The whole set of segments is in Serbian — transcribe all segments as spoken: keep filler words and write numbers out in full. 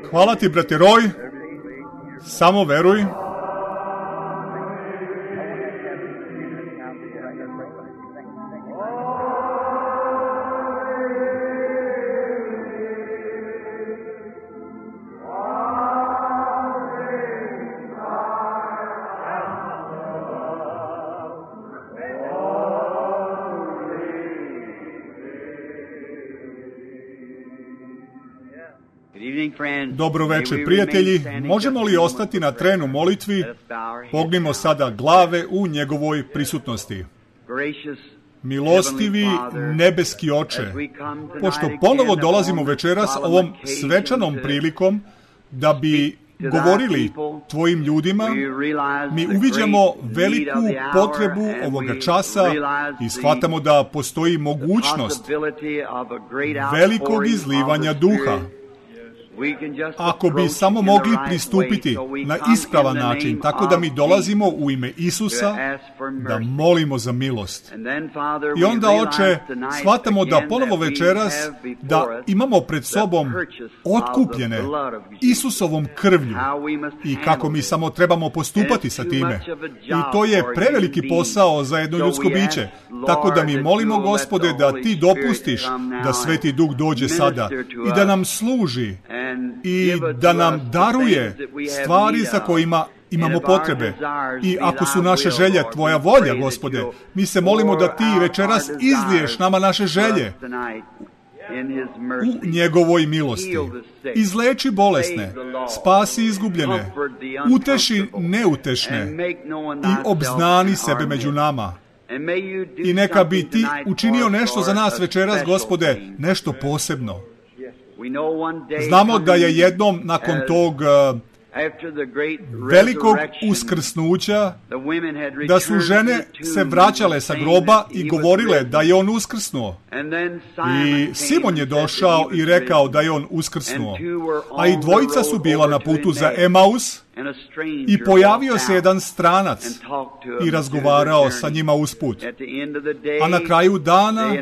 Hvala ti, brate Roy. Samo veruj. Dobro večer, prijatelji. Možemo li ostati na trenu molitvi? Pognimo sada glave u njegovoj prisutnosti. Milostivi nebeski Oče, pošto ponovo dolazimo večeras ovom svečanom prilikom da bi govorili tvojim ljudima, mi uviđamo veliku potrebu ovoga časa i shvatamo da postoji mogućnost velikog izlivanja duha. Ako bi samo mogli pristupiti na ispravan način, tako da mi dolazimo u ime Isusa da molimo za milost. I onda, Oče, shvatamo da ponovo večeras da imamo pred sobom otkupljene Isusovom krvlju i kako mi samo trebamo postupati sa time. I to je preveliki posao za jedno ljudsko biće. Tako da mi molimo, Gospode, da ti dopustiš da Sveti Duh dođe sada i da nam služi i da nam daruje stvari za kojima imamo potrebe. I ako su naše želje tvoja volja, Gospode, mi se molimo da ti večeras izliješ nama naše želje u njegovoj milosti. Izleči bolesne, spasi izgubljene, uteši neutešne i obznani sebe među nama. I neka bi ti učinio nešto za nas večeras, Gospode, nešto posebno. Znamo da je jednom nakon tog velikog uskrsnuća, da su žene se vraćale sa groba i govorile da je on uskrsnuo. I Simon je došao i rekao da je on uskrsnuo. A i dvojica su bila na putu za Emaus i pojavio se jedan stranac i razgovarao sa njima usput. A na kraju dana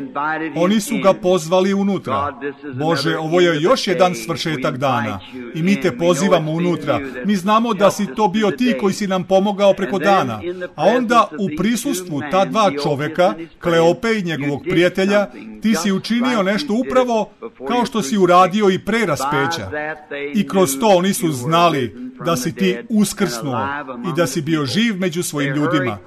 oni su ga pozvali unutra. Bože, ovo je još jedan svršetak dana i mi te pozivamo unutra. Mi znamo da si to bio ti koji si nam pomogao preko dana. A onda u prisustvu ta dva čoveka, Kleope i njegovog prijatelja, ti si učinio nešto upravo kao što si uradio i pre raspeća. I kroz to oni su znali da si ti uskrsnuo i da si bio živ među svojim ljudima.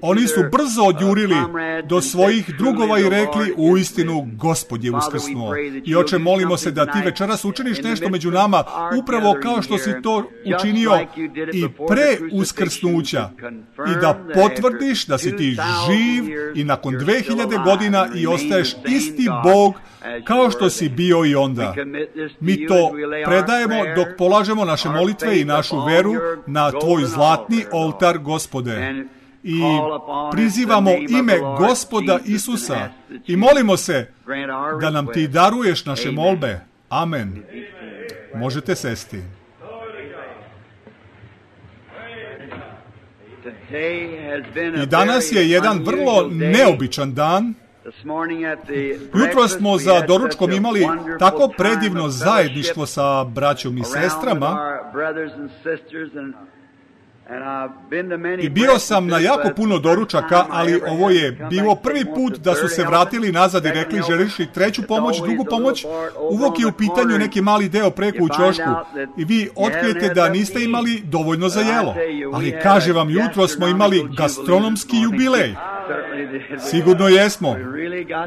Oni su brzo odjurili do svojih drugova i rekli, uistinu Gospod je uskrsnuo. I Oče, molimo se da ti večeras učiniš nešto među nama, upravo kao što si to učinio i pre uskrsnuća, i da potvrdiš da si ti živ i nakon dve hiljade godina i ostaješ isti Bog kao što si bio i onda. Mi to predajemo dok polažemo naše molitve i našu veru na tvoj zlatni oltar, Gospode. I prizivamo ime Gospoda Isusa i molimo se da nam ti daruješ naše molbe. Amen. Možete sesti. I danas je jedan vrlo neobičan dan. Jutro smo za doručkom imali tako predivno zajedništvo sa braćom i sestrama i bio sam na jako puno doručaka, ali ovo je bilo prvi put da su se vratili nazad i rekli, želiš li treću pomoć, drugu pomoć? Uvijek je u pitanju neki mali deo preko u ćošku i vi otkrijete da niste imali dovoljno za jelo. Ali kaže vam, jutro smo imali gastronomski jubilej. Sigurno jesmo.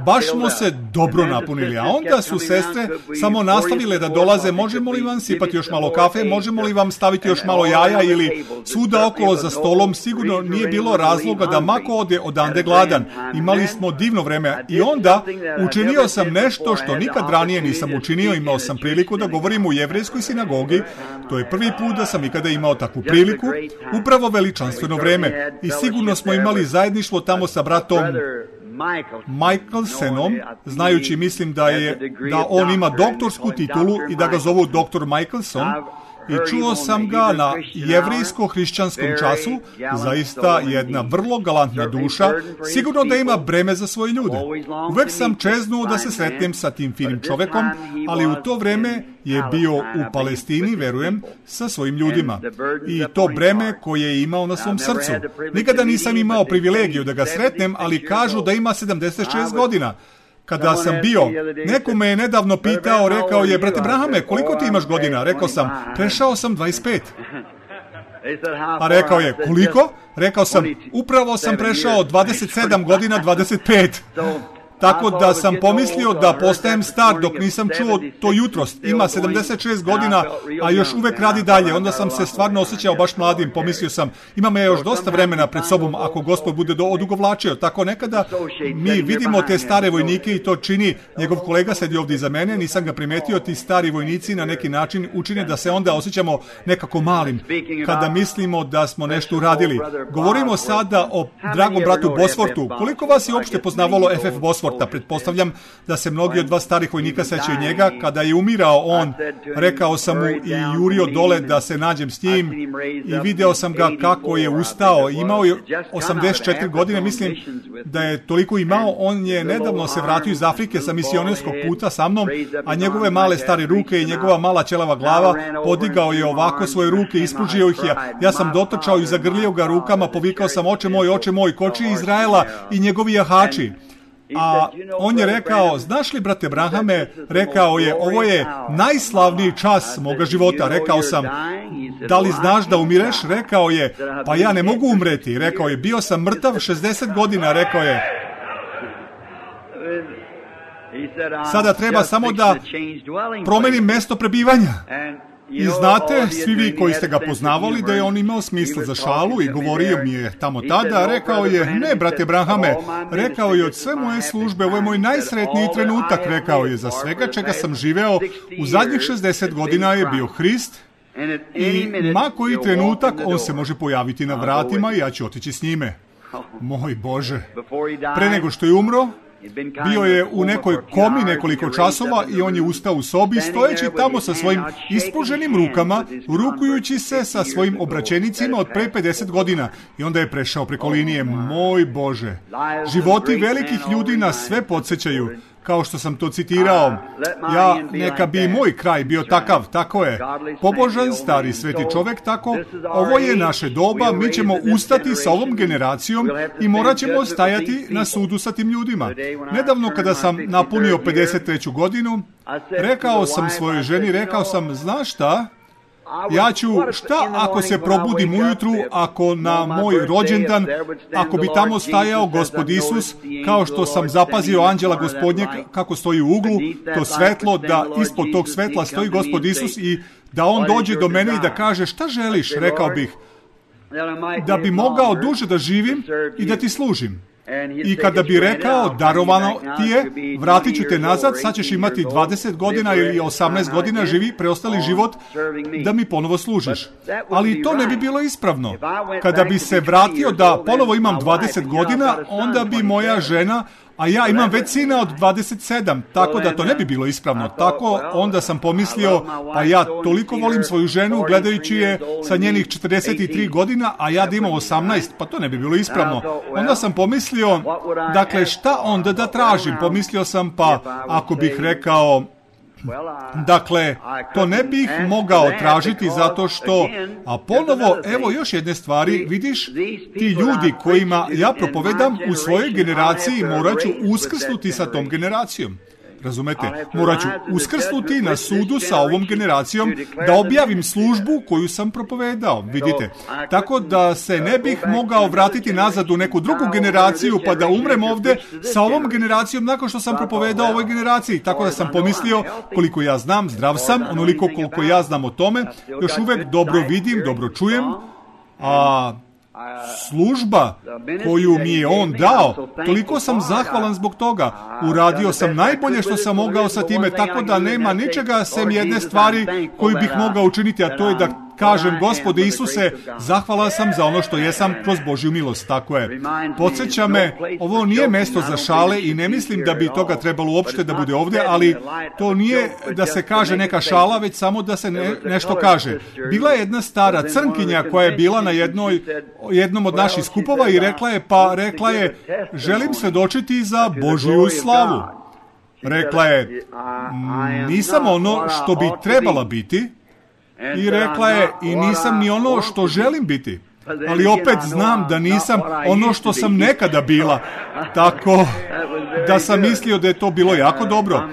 Baš smo se dobro napunili, a onda su sestre samo nastavile da dolaze, možemo li vam sipati još malo kafe, možemo li vam staviti još malo jaja ili svuda okolo za stolom. Sigurno nije bilo razloga da mako ode odande gladan. Imali smo divno vreme i onda učinio sam nešto što nikad ranije nisam učinio. Imao sam priliku da govorim u jevrejskoj sinagogi. To je prvi put da sam ikada imao takvu priliku. Upravo veličanstveno vreme. I sigurno smo imali zajedništvo tamo sa bratom Michelsonom, znajući, mislim da je da on ima doktorsku titulu i da ga zovu doktor Michelson. i čuo sam ga na jevrijsko-hrišćanskom času, zaista jedna vrlo galantna duša, sigurno da ima breme za svoje ljude. Uvek sam čeznuo da se sretnem sa tim finim čovekom, ali u to vreme je bio u Palestini, verujem, sa svojim ljudima. I to breme koje je imao na svom srcu. Nikada nisam imao privilegiju da ga sretnem, ali kažu da ima sedamdeset šest godina. Kada sam bio, neko me je nedavno pitao, rekao je, brate Brahame, koliko ti imaš godina? Rekao sam, prešao sam dvadeset pet. A rekao je, koliko? Rekao sam, upravo sam prešao dvadeset sedam godina, dvadeset pet. Tako da sam pomislio da postajem star dok nisam čuo to jutros. Ima sedamdeset šest godina, a još uvek radi dalje. Onda sam se stvarno osjećao baš mladim. Pomislio sam, ima me još dosta vremena pred sobom ako Gospod bude do odugovlačio. Tako nekada mi vidimo te stare vojnike i to čini. Njegov kolega sedi ovdje iza mene, nisam ga primetio. Ti stari vojnici na neki način učine da se onda osjećamo nekako malim. Kada mislimo da smo nešto uradili. Govorimo sada o dragom bratu Bosworthu. Koliko vas je uopšte poznavalo F F Bosworth? Pretpostavljam da se mnogi od vas starih vojnika sećaju njega. Kada je umirao on, rekao sam mu i jurio dole da se nađem s njim i video sam ga kako je ustao. Imao je osamdeset četiri godine, mislim da je toliko imao. On je nedavno se vratio iz Afrike sa misionarskog puta sa mnom, a njegove male stare ruke i njegova mala ćelava glava podigao je ovako svoje ruke, ispružio ih je. Ja sam dotrčao i zagrlio ga rukama, povikao sam, oče moj, oče moj, koči Izraela i njegovi jahači. A on je rekao, znaš li, brate Brahame, rekao je, ovo je najslavniji čas moga života. Rekao sam, da li znaš da umireš? Rekao je, pa ja ne mogu umreti. Rekao je, bio sam mrtav šezdeset godina, rekao je. Sada treba samo da promenim mesto prebivanja. I znate, svi vi koji ste ga poznavali, da je on imao smisla za šalu i govorio mi je tamo tada, rekao je, ne, brate Brahame, rekao je, od sve moje službe, ovo je moj najsretniji trenutak, rekao je, za svega čega sam živeo, u zadnjih šezdeset godina je bio Hrist i ma koji trenutak on se može pojaviti na vratima i ja ću otići s njime. Moj Bože, pre nego što je umro, bio je u nekoj komi nekoliko časova i on je ustao u sobi, stojeći tamo sa svojim ispruženim rukama, rukujući se sa svojim obraćenicima od pre pedeset godina. I onda je prešao preko linije. Moj Bože, životi velikih ljudi nas sve podsjećaju. Kao što sam to citirao, ja, neka bi i moj kraj bio takav, tako je. Pobožan, stari, sveti čovek, tako. Ovo je naše doba, mi ćemo ustati sa ovom generacijom i morat ćemo stajati na sudu sa tim ljudima. Nedavno kada sam napunio pedeset treću godinu, rekao sam svojoj ženi, rekao sam, znaš šta? Ja ću, šta ako se probudim ujutru, ako na moj rođendan, ako bi tamo stajao Gospod Isus, kao što sam zapazio anđela Gospodnjeg kako stoji u uglu, to svetlo, da ispod tog svetla stoji Gospod Isus i da on dođe do mene i da kaže, šta želiš, rekao bih, da bi mogao duže da živim i da ti služim. I kada bi rekao, darovano ti je, vratit ću te nazad, sad ćeš imati dvadeset godina ili osamnaest godina, živi preostali život da mi ponovo služiš. Ali to ne bi bilo ispravno. Kada bi se vratio da ponovo imam dvadeset godina, onda bi moja žena, a ja imam već sina od dvadeset sedam, tako da to ne bi bilo ispravno. Tako onda sam pomislio, pa ja toliko volim svoju ženu gledajući je sa njenih četrdeset tri godina, a ja da imam osamnaest, pa to ne bi bilo ispravno. Onda sam pomislio, dakle, šta onda da tražim? Pomislio sam, pa ako bih rekao, dakle, to ne bih mogao tražiti zato što, a ponovo, evo još jedne stvari, vidiš, ti ljudi kojima ja propovedam u svojoj generaciji morat ću uskrsnuti sa tom generacijom. Razumete? Morat ću uskrsnuti na sudu sa ovom generacijom da objavim službu koju sam propovedao. Vidite? Tako da se ne bih mogao vratiti nazad u neku drugu generaciju pa da umrem ovde sa ovom generacijom nakon što sam propovedao ovoj generaciji. Tako da sam pomislio, koliko ja znam, zdrav sam, onoliko koliko ja znam o tome, još uvek dobro vidim, dobro čujem, a služba koju mi je on dao, toliko sam zahvalan zbog toga. Uradio sam najbolje što sam mogao sa time, tako da nema ničega sem jedne stvari koju bih mogao učiniti, a to je da kažem, Gospode Isuse, zahvalan sam za ono što jesam kroz Božju milost. Tako je. Podsjeća me, ovo nije mesto za šale i ne mislim da bi toga trebalo uopšte da bude ovdje, ali to nije da se kaže neka šala, već samo da se ne, nešto kaže. Bila je jedna stara crnkinja koja je bila na jednoj, jednom od naših skupova i rekla je, pa rekla je, želim svedočiti za Božju slavu. Rekla je, nisam ono što bi trebala biti, i rekla je, i nisam ni ono što želim biti. Ali opet znam da nisam ono što sam nekada bila, tako da sam mislio da je to bilo jako dobro.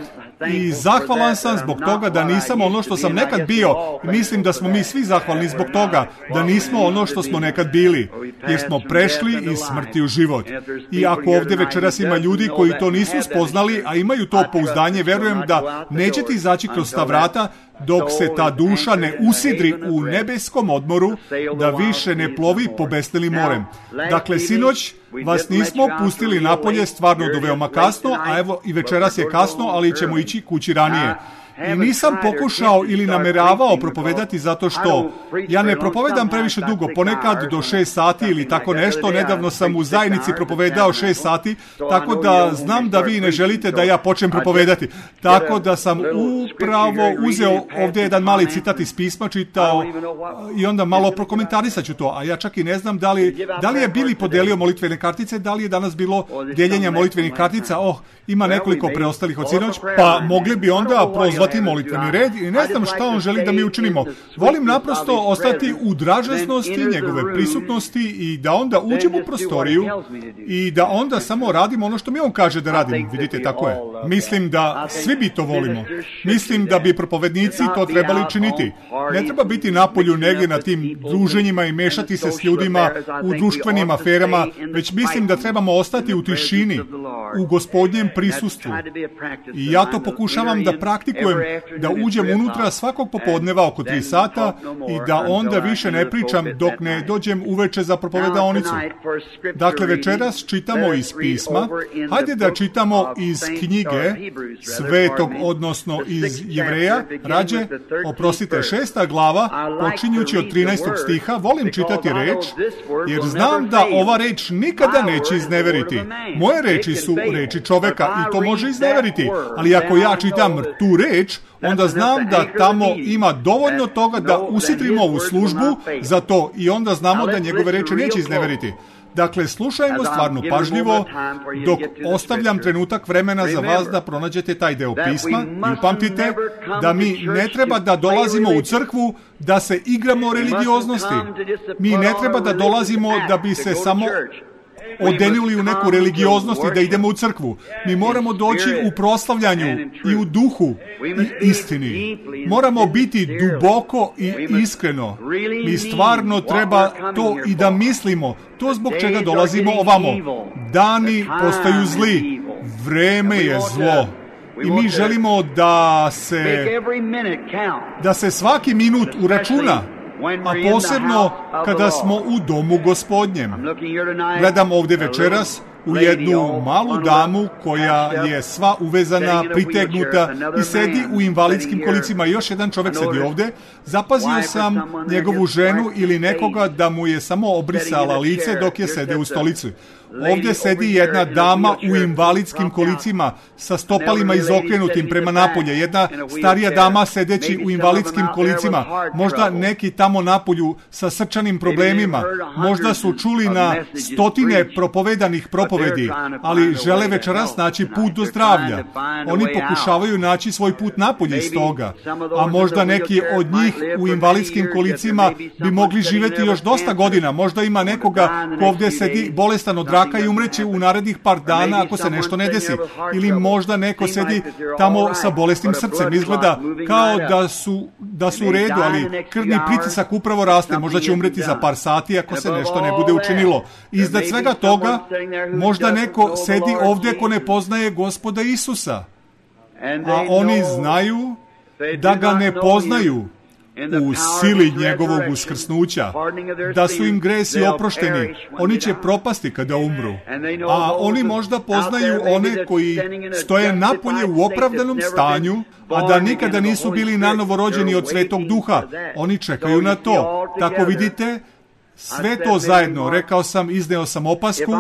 I zahvalan sam zbog toga da nisam ono što sam nekad bio. Mislim da smo mi svi zahvalni zbog toga da nismo ono što smo nekad bili, jer smo prešli iz smrti u život. I ako ovdje večeras ima ljudi koji to nisu spoznali, a imaju to pouzdanje, verujem da nećete izaći kroz ta vrata dok se ta duša ne usidri u nebeskom odmoru, da više ne plovi po besnelim morem. Dakle, sinoć vas nismo pustili napolje stvarno do veoma kasno, a evo i večeras je kasno, ali ćemo ići kući ranije. I nisam pokušao ili nameravao propovedati zato što ja ne propovedam previše dugo, ponekad do šest sati ili tako nešto. Nedavno sam u zajednici propovedao šest sati, tako da znam da vi ne želite da ja počnem propovedati. Tako da sam upravo uzeo ovdje jedan mali citat iz pisma, čitao i onda malo prokomentarisat ću to. A ja čak i ne znam da li, da li je Bili podelio molitvene kartice, da li je danas bilo dijeljenja molitvenih kartica. Oh, ima nekoliko preostalih od sinoć, pa mogli bi onda prozvati molitveni red i ne znam šta on želi da mi učinimo. Volim naprosto ostati u dražesnosti njegove prisutnosti i da onda uđem u prostoriju i da onda samo radim ono što mi on kaže da radim. Vidite, tako je. Mislim da svi bi to volimo. Mislim da bi propovednici to trebali činiti. Ne treba biti napolju negdje na tim druženjima i mešati se s ljudima u društvenim aferama, već mislim da trebamo ostati u tišini, u Gospodnjem prisustvu. I ja to pokušavam da praktikujem, da uđem unutra svakog popodneva oko tri sata i da onda više ne pričam dok ne dođem uveče za propovedaonicu. Dakle, večeras čitamo iz pisma. Hajde da čitamo iz knjige Svetog, odnosno iz Jevreja, rađe, oprostite, šesta glava, počinjući od trinaestog stiha. Volim čitati reč, jer znam da ova reč nikada neće izneveriti. Moje reči su reči čoveka i to može izneveriti, ali ako ja čitam tu reč, onda znam da tamo ima dovoljno toga da usidrimo ovu službu za to i onda znamo da njegove reči neće izneveriti. Dakle, slušajmo stvarno pažljivo dok ostavljam trenutak vremena za vas da pronađete taj deo pisma i upamtite da mi ne treba da dolazimo u crkvu da se igramo religioznosti. Mi ne treba da dolazimo da bi se samo odenili u neku religioznost i da idemo u crkvu. Mi moramo doći u proslavljanju i u duhu i istini. Moramo biti duboko i iskreno. Mi stvarno treba to i da mislimo. To zbog čega dolazimo ovamo. Dani postaju zli. Vreme je zlo. I mi želimo da se da se svaki minut uračuna, a posebno kada smo u domu Gospodnjem. Gledam ovdje večeras u jednu malu damu koja je sva uvezana, pritegnuta i sedi u invalidskim kolicima. Još jedan čovjek sedi ovdje. Zapazio sam njegovu ženu ili nekoga da mu je samo obrisala lice dok je sede u stolici. Ovdje sedi jedna dama u invalidskim kolicima sa stopalima izokrenutim prema napolje. Jedna starija dama sedeći u invalidskim kolicima. Možda neki tamo napolju sa srčanim problemima. Možda su čuli na stotine propovedanih propovedi, ali žele večeras naći put do zdravlja. Oni pokušavaju naći svoj put napolje iz toga. A možda neki od njih u invalidskim kolicima bi mogli živjeti još dosta godina. Možda ima nekoga ko ovdje sedi bolestan od raka i umreće u narednih par dana ako se nešto ne desi. Ili možda neko sedi tamo sa bolesnim srcem. Izgleda kao da su, da su u redu, ali krvni pritisak upravo raste. Možda će umreti za par sati ako se nešto ne bude učinilo. Iznad svega toga, možda neko sedi ovdje ko ne poznaje Gospoda Isusa. A oni znaju da ga ne poznaju. u sili njegovog uskrsnuća, da su im gresi oprošteni, oni će propasti kada umru. A oni možda poznaju one koji stoje napolje u opravdanom stanju, a da nikada nisu bili nanovo rođeni od Svetog Duha. Oni čekaju na to. Tako vidite, sve to zajedno, rekao sam, izneo sam opasku,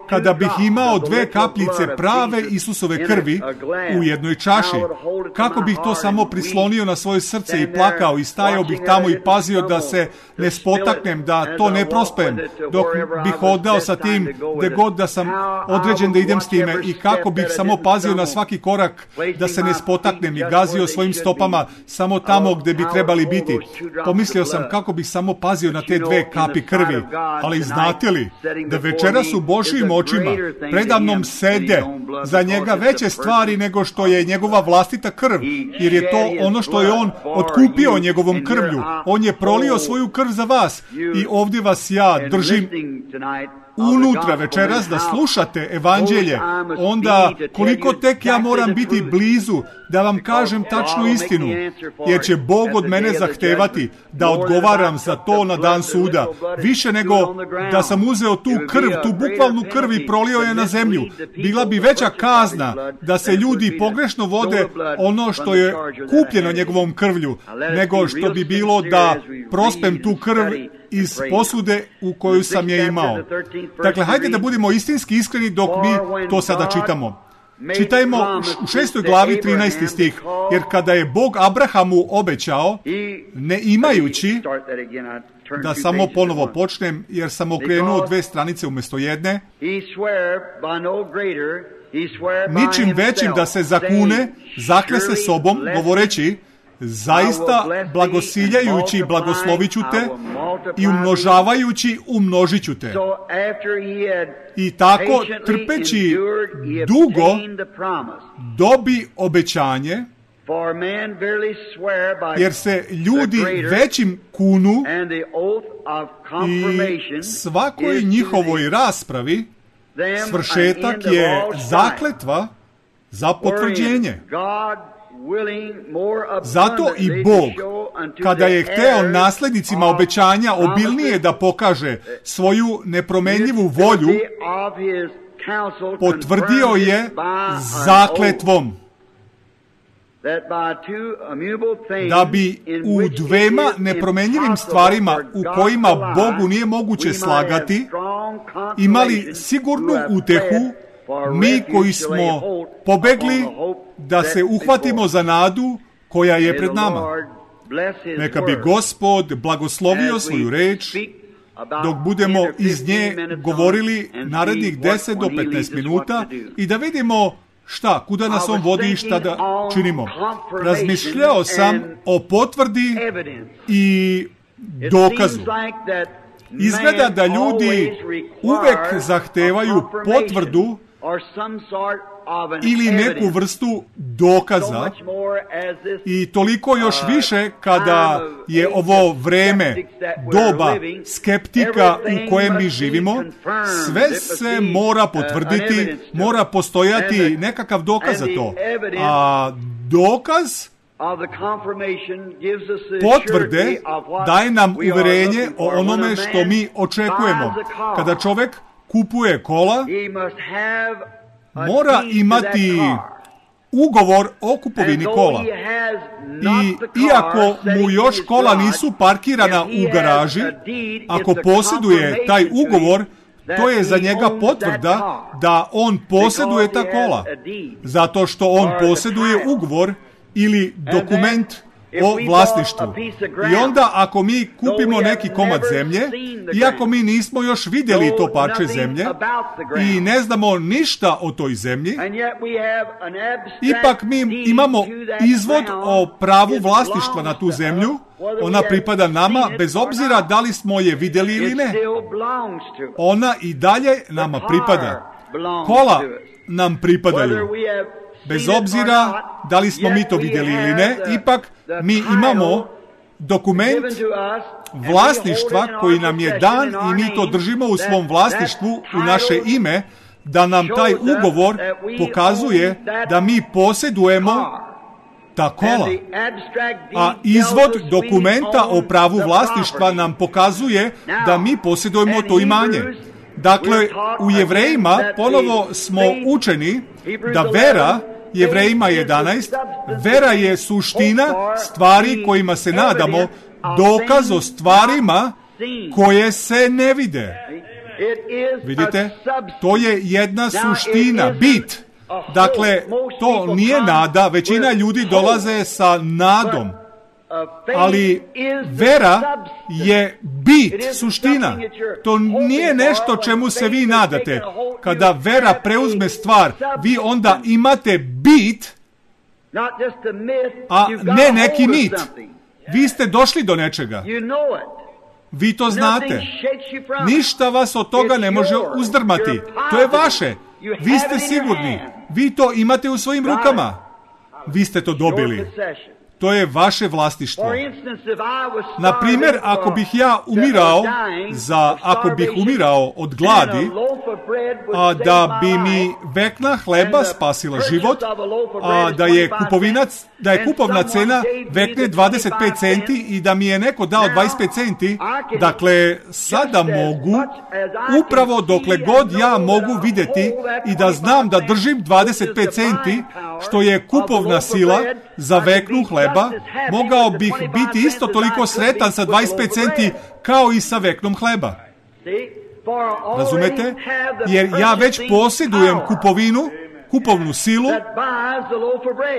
kada bih imao dve kapljice prave Isusove krvi u jednoj čaši, kako bih to samo prislonio na svoje srce i plakao i stajao bih tamo i pazio da se ne spotaknem, da to ne prospem, dok bih odao sa tim gde god da sam određen da idem s time, i kako bih samo pazio na svaki korak da se ne spotaknem i gazio svojim stopama samo tamo gde bi trebali biti. Pomislio sam kako bih samo pazio na te dve kapi krvi, ali znate li da večeras u Božjim očima predamnom sede za njega veće stvari nego što je njegova vlastita krv, jer je to ono što je on otkupio njegovom krvlju. On je prolio svoju krv za vas i ovdje vas ja držim unutra večeras da slušate evanđelje. Onda koliko tek ja moram biti blizu da vam kažem tačnu istinu, jer će Bog od mene zahtevati da odgovaram za to na dan suda, više nego da sam uzeo tu krv, tu bukvalnu krv i prolio je na zemlju. Bila bi veća kazna da se ljudi pogrešno vode ono što je kupljeno njegovom krvlju, nego što bi bilo da prospem tu krv iz posude u koju sam je imao. Dakle, hajde da budemo istinski iskreni dok mi to sada čitamo. Čitajmo u šestoj glavi trinaesti stih, jer kada je Bog Abrahamu obećao, ne imajući, da samo ponovo počnem, jer sam okrenuo dve stranice umjesto jedne, ničim većim da se zakune, zakle se sobom, govoreći, zaista blagosiljajući i blagosloviću te i umnožavajući umnožiću te. I tako trpeći dugo dobi obećanje, jer se ljudi većim kunu i svakoj njihovoj raspravi svršetak je zakletva za potvrđenje. Zato i Bog, kada je hteo naslednicima obećanja obilnije da pokaže svoju nepromenljivu volju, potvrdio je zakletvom, da bi u dvema nepromenjivim stvarima u kojima Bogu nije moguće slagati, imali sigurnu utehu mi koji smo pobegli da se uhvatimo za nadu koja je pred nama. Neka bi Gospod blagoslovio svoju reč dok budemo iz nje govorili narednih deset do petnaest minuta i da vidimo šta, kuda nas on vodi i šta da činimo. Razmišljao sam o potvrdi i dokazu. Izgleda da ljudi uvek zahtevaju potvrdu ili neku vrstu dokaza, i toliko još više kada je ovo vreme, doba skeptika u kojem mi živimo. Sve se mora potvrditi, mora postojati nekakav dokaz za to. A dokaz potvrde daje nam uverenje o onome što mi očekujemo. Kada čovjek kupuje kola, mora imati ugovor o kupovini kola. I iako mu još kola nisu parkirana u garaži, ako posjeduje taj ugovor, to je za njega potvrda da on posjeduje ta kola. Zato što on posjeduje ugovor ili dokument o vlasništvu. I onda ako mi kupimo neki komad zemlje, iako mi nismo još vidjeli to parče zemlje i ne znamo ništa o toj zemlji, ipak mi imamo izvod o pravu vlasništva na tu zemlju. Ona pripada nama bez obzira da li smo je vidjeli ili ne. Ona i dalje nama pripada. Kola nam pripadaju. Bez obzira da li smo mi to vidjeli ili ne, ipak mi imamo dokument vlasništva koji nam je dan i mi to držimo u svom vlasništvu u naše ime, da nam taj ugovor pokazuje da mi posjedujemo ta kola. A izvod dokumenta o pravu vlasništva nam pokazuje da mi posjedujemo to imanje. Dakle, u Jevrejima ponovo smo učeni da vera, Jevrejima jedanaest, vera je suština stvari kojima se nadamo, dokaz o stvarima koje se ne vide. Vidite, to je jedna suština, bit. Dakle, to nije nada, većina ljudi dolaze sa nadom. Ali vera je bit, suština. To nije nešto čemu se vi nadate. Kada vera preuzme stvar, vi onda imate bit, a ne neki mit. Vi ste došli do nečega. Vi to znate. Ništa vas od toga ne može uzdrmati. To je vaše. Vi ste sigurni. Vi to imate u svojim rukama. Vi ste to dobili. To je vaše vlasništvo. Na primjer, ako bih ja umirao, za, ako bih umirao od gladi, a da bi mi vekna hleba spasila život, a da je kupovinac, da je kupovna cena vekne dvadeset pet centi i da mi je neko dao dvadeset pet centi, dakle, sada mogu, upravo dokle god ja mogu vidjeti i da znam da držim dvadeset pet centi, što je kupovna sila za veknu hleba, mogao bih biti isto toliko sretan sa dvadeset pet centi kao i sa veknom hleba. Razumete? Jer ja već posjedujem kupovinu, kupovnu silu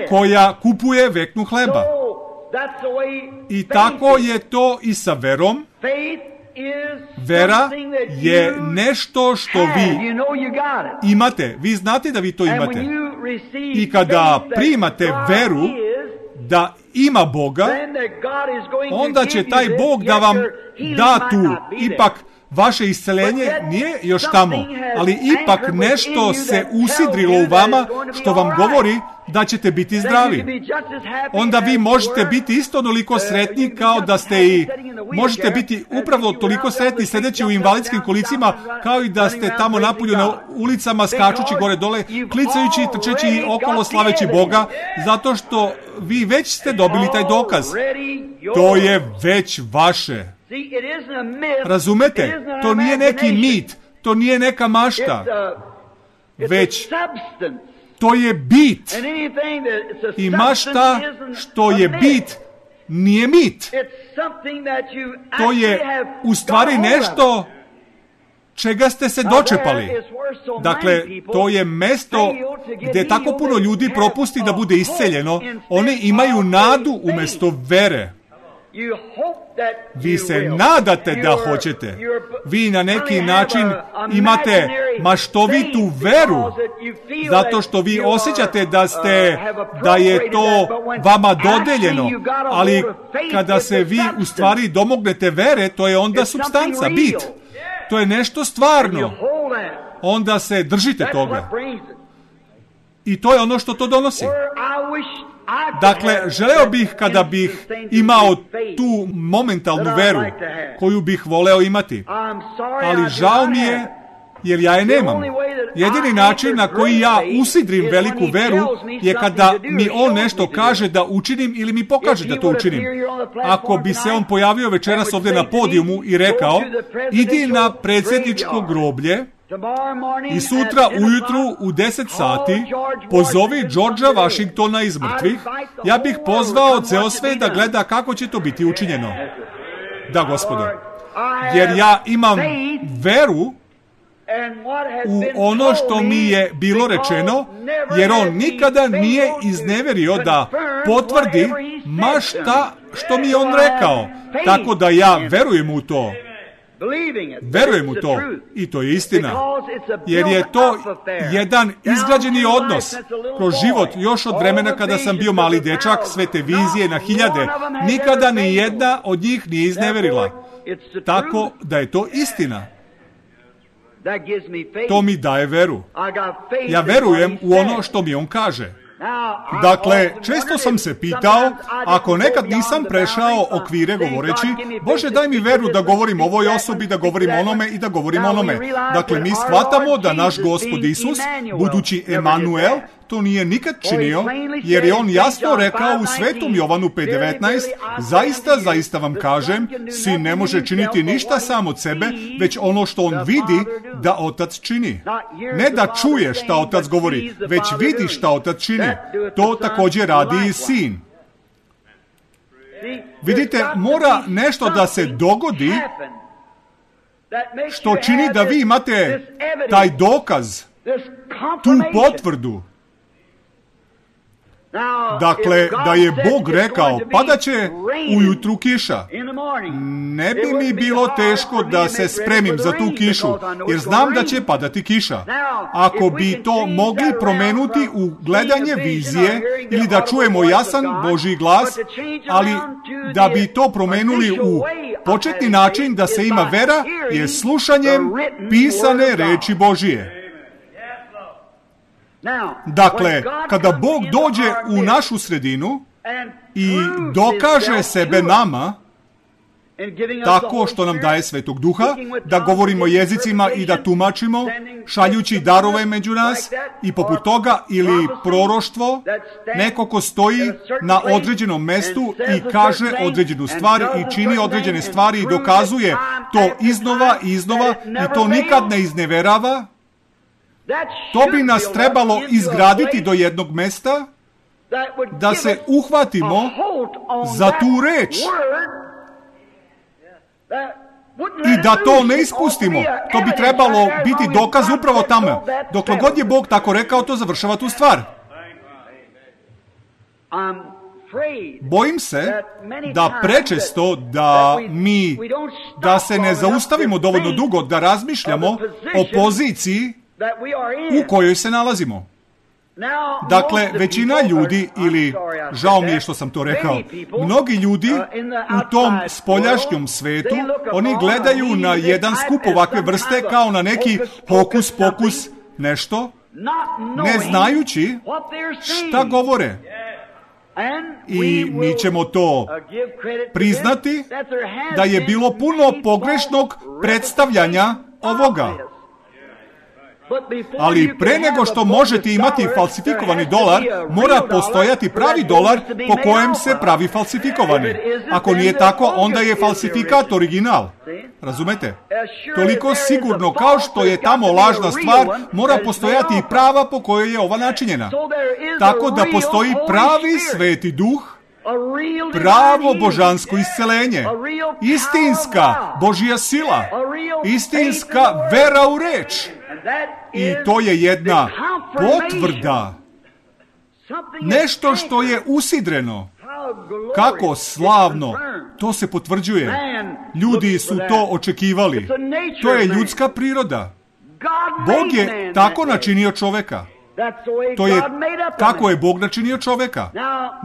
koja kupuje veknu hleba. I tako je to i sa verom. Vera je nešto što vi imate. Vi znate da vi to imate. I kada primate veru da ima Boga, onda će taj Bog da vam da tu. Ipak vaše isceljenje nije još tamo, ali ipak nešto se usidrilo u vama što vam govori da ćete biti zdravi. Onda vi možete biti isto onoliko sretni kao da ste i možete biti upravo toliko sretni sedeći u invalidskim kolicima kao i da ste tamo napolju na ulicama skačući gore dole, klicajući i trčeći okolo slaveći Boga, zato što vi već ste dobili taj dokaz. To je već vaše. Razumete? To nije neki mit, to nije neka mašta, već to je bit. I mašta što je bit nije mit. To je u stvari nešto čega ste se dočepali. Dakle, to je mesto gdje tako puno ljudi propusti da bude isceljeno. Oni imaju nadu umjesto vere. Vi se nadate da hoćete. Vi na neki način imate maštovitu veru, zato što vi osjećate da ste, da je to vama dodeljeno, ali kada se vi u stvari domognete vere, to je onda supstanca, bit. To je nešto stvarno. Onda se držite toga. I to je ono što to donosi. Dakle, želeo bih kada bih imao tu momentalnu veru koju bih voleo imati. Ali žao mi je jer ja je nemam. Jedini način na koji ja usidrim veliku veru je kada mi on nešto kaže da učinim ili mi pokaže da to učinim. Ako bi se on pojavio večeras ovdje na podijumu i rekao, idi na predsjedničko groblje i sutra ujutru u deset sati pozovi Georgea Washingtona iz mrtvih, ja bih pozvao ceo svet da gleda kako će to biti učinjeno. Da, Gospodo. Jer ja imam veru u ono što mi je bilo rečeno, jer on nikada nije izneverio da potvrdi ma šta što mi je on rekao. Tako da ja verujem u to. Verujem u to. I to je istina. Jer je to jedan izgrađeni odnos kroz život još od vremena kada sam bio mali dečak, sve te vizije na hiljade. Nikada ni jedna od njih nije izneverila. Tako da je to istina. To mi daje veru. Ja verujem u ono što mi on kaže. Dakle, često sam se pitao, ako nekad nisam prešao okvire govoreći, Bože, daj mi veru da govorim ovoj osobi, da govorim onome i da govorim onome. Dakle, mi shvatamo da naš Gospod Isus, budući Emanuel, to nije nikad činio, jer je on jasno rekao u Svetom Jovanu pet devetnaest, zaista, zaista vam kažem, sin ne može činiti ništa sam od sebe, već ono što on vidi da otac čini. Ne da čuje šta otac govori, već vidi šta otac čini. To također radi i sin. Vidite, mora nešto da se dogodi što čini da vi imate taj dokaz, tu potvrdu. Dakle, da je Bog rekao, padaće ujutru kiša. Ne bi mi bilo teško da se spremim za tu kišu, jer znam da će padati kiša. Ako bi to mogli promenuti u gledanje vizije ili da čujemo jasan Božji glas, ali da bi to promenuli u početni način da se ima vera je slušanjem pisane reči Božije. Dakle, kada Bog dođe u našu sredinu i dokaže sebe nama, tako što nam daje Svetog Duha, da govorimo jezicima i da tumačimo, šaljući darove među nas i poput toga, ili proroštvo, neko ko stoji na određenom mestu i kaže određenu stvar i čini određene stvari i dokazuje to iznova i iznova i to nikad ne izneverava. To bi nas trebalo izgraditi do jednog mesta, da se uhvatimo za tu reč i da to ne ispustimo. To bi trebalo biti dokaz upravo tamo. Dokle god je Bog tako rekao, to završava tu stvar. Bojim se da prečesto da mi, da se ne zaustavimo dovoljno dugo, da razmišljamo o poziciji u kojoj se nalazimo. Dakle, većina ljudi, ili žao mi je što sam to rekao, mnogi ljudi u tom spoljašnjom svetu, oni gledaju na jedan skup ovakve vrste kao na neki hokus pokus nešto, ne znajući šta govore. I mi ćemo to priznati da je bilo puno pogrešnog predstavljanja ovoga. Ali pre nego što možete imati falsifikovani dolar, mora postojati pravi dolar po kojem se pravi falsifikovani. Ako nije tako, onda je falsifikat original. Razumete? Toliko sigurno kao što je tamo lažna stvar, mora postojati i prava po kojoj je ova načinjena. Tako da postoji pravi sveti duh, pravo božansko iscelenje, istinska Božja sila, istinska vera u reč. I to je jedna potvrda, nešto što je usidreno. Kako slavno, to se potvrđuje. Ljudi su to očekivali. To je ljudska priroda. Bog je tako načinio čoveka. To je kako je Bog načinio čoveka.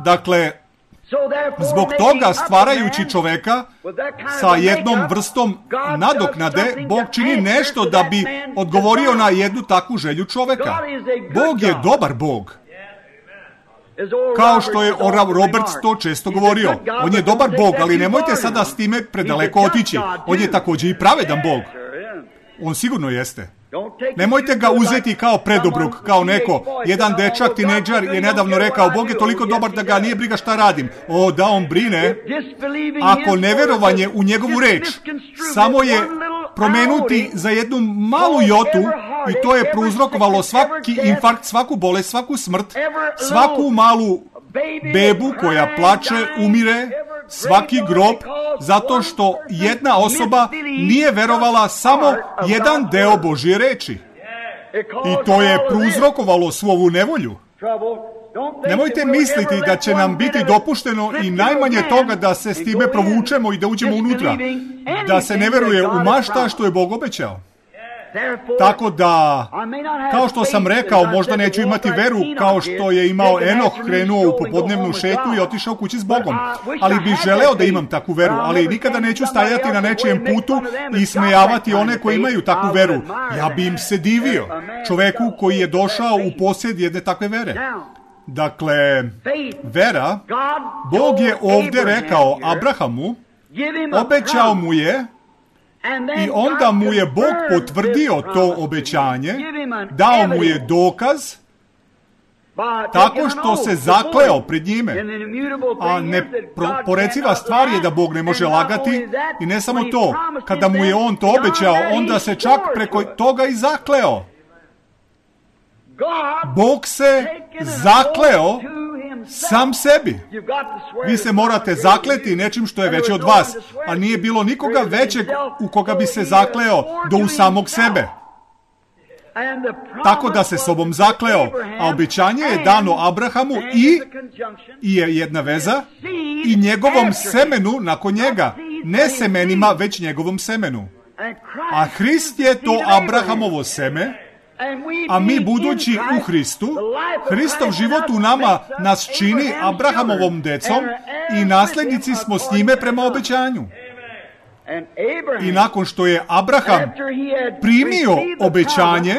Dakle, zbog toga, stvarajući čoveka sa jednom vrstom nadoknade, Bog čini nešto da bi odgovorio na jednu takvu želju čoveka. Bog je dobar Bog. Kao što je Oral Roberts to često govorio. On je dobar Bog, ali nemojte sada s time predaleko otići. On je također i pravedan Bog. On sigurno jeste. Nemojte ga uzeti kao predobrog, kao neko. Jedan dečak, tinejdžer je nedavno rekao, Bog je toliko dobar da ga nije briga šta radim. O, da on brine. Ako neverovanje u njegovu reč samo je promenuti za jednu malu jotu, i to je prouzrokovalo svaki infarkt, svaku bolest, svaku smrt, svaku malu bebu koja plače, umire, svaki grob, zato što jedna osoba nije verovala samo jedan deo Božje reči. I to je prouzrokovalo svu ovu nevolju. Nemojte misliti da će nam biti dopušteno i najmanje toga da se s time provučemo i da uđemo unutra. Da se ne veruje u mašta što je Bog obećao. Tako da, kao što sam rekao, možda neću imati veru kao što je imao Enoh, krenuo u popodnevnu šetnju i otišao kući s Bogom. Ali bih želeo da imam takvu veru, ali nikada neću stajati na nečijem putu i smejavati one koji imaju takvu veru. Ja bi im se divio, čoveku koji je došao u posjed jedne takve vere. Dakle, vera, Bog je ovdje rekao Abrahamu, obećao mu je, i onda mu je Bog potvrdio to obećanje, dao mu je dokaz tako što se zakleo pred njime. A neporeciva stvar je da Bog ne može lagati i ne samo to, kada mu je on to obećao, onda se čak preko toga i zakleo. Bog se zakleo sam sebi. Vi se morate zakleti nečim što je veće od vas, a nije bilo nikoga većeg u koga bi se zakleo do u samog sebe. Tako da se sobom zakleo, a obećanje je dano Abrahamu i, i je jedna veza, i njegovom semenu nakon njega, ne semenima, već njegovom semenu. A Hrist je to Abrahamovo seme, a mi budući u Hristu, Hristov život u nama nas čini Abrahamovom decom i nasljednici smo s njime prema obećanju. I nakon što je Abraham primio obećanje,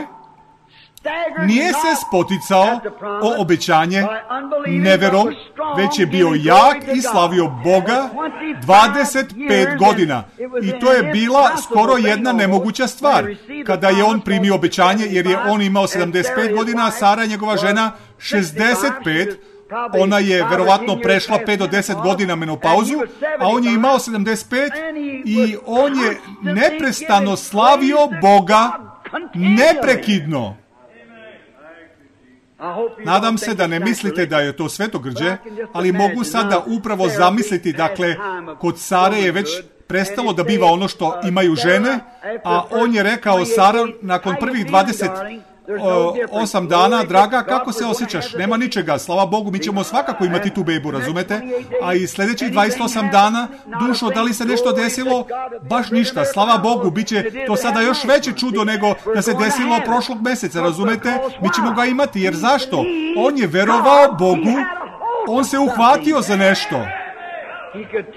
nije se spoticao o obećanje neverom, već je bio jak i slavio Boga dvadeset pet godina. I to je bila skoro jedna nemoguća stvar, kada je on primio obećanje, jer je on imao sedamdeset pet godina, a Sara, njegova žena, šezdeset pet. Ona je verovatno prešla pet do deset godina menopauzu, a on je imao sedamdeset pet i on je neprestano slavio Boga neprekidno. Nadam se da ne mislite da je to svetogrđe, ali mogu sada upravo zamisliti, dakle, kod Sare je već prestalo da biva ono što imaju žene, a on je rekao, Sara, nakon prvih dvadeset osam dana, draga, kako se osjećaš? Nema ničega, slava Bogu, mi ćemo svakako imati tu bebu, razumete? A i sljedećih dvadeset osam dana, dušo, da li se nešto desilo? Baš ništa, slava Bogu, bit će to sada još veće čudo nego da se desilo prošlog mjeseca, razumete? Mi ćemo ga imati, jer zašto? On je verovao Bogu, on se uhvatio za nešto.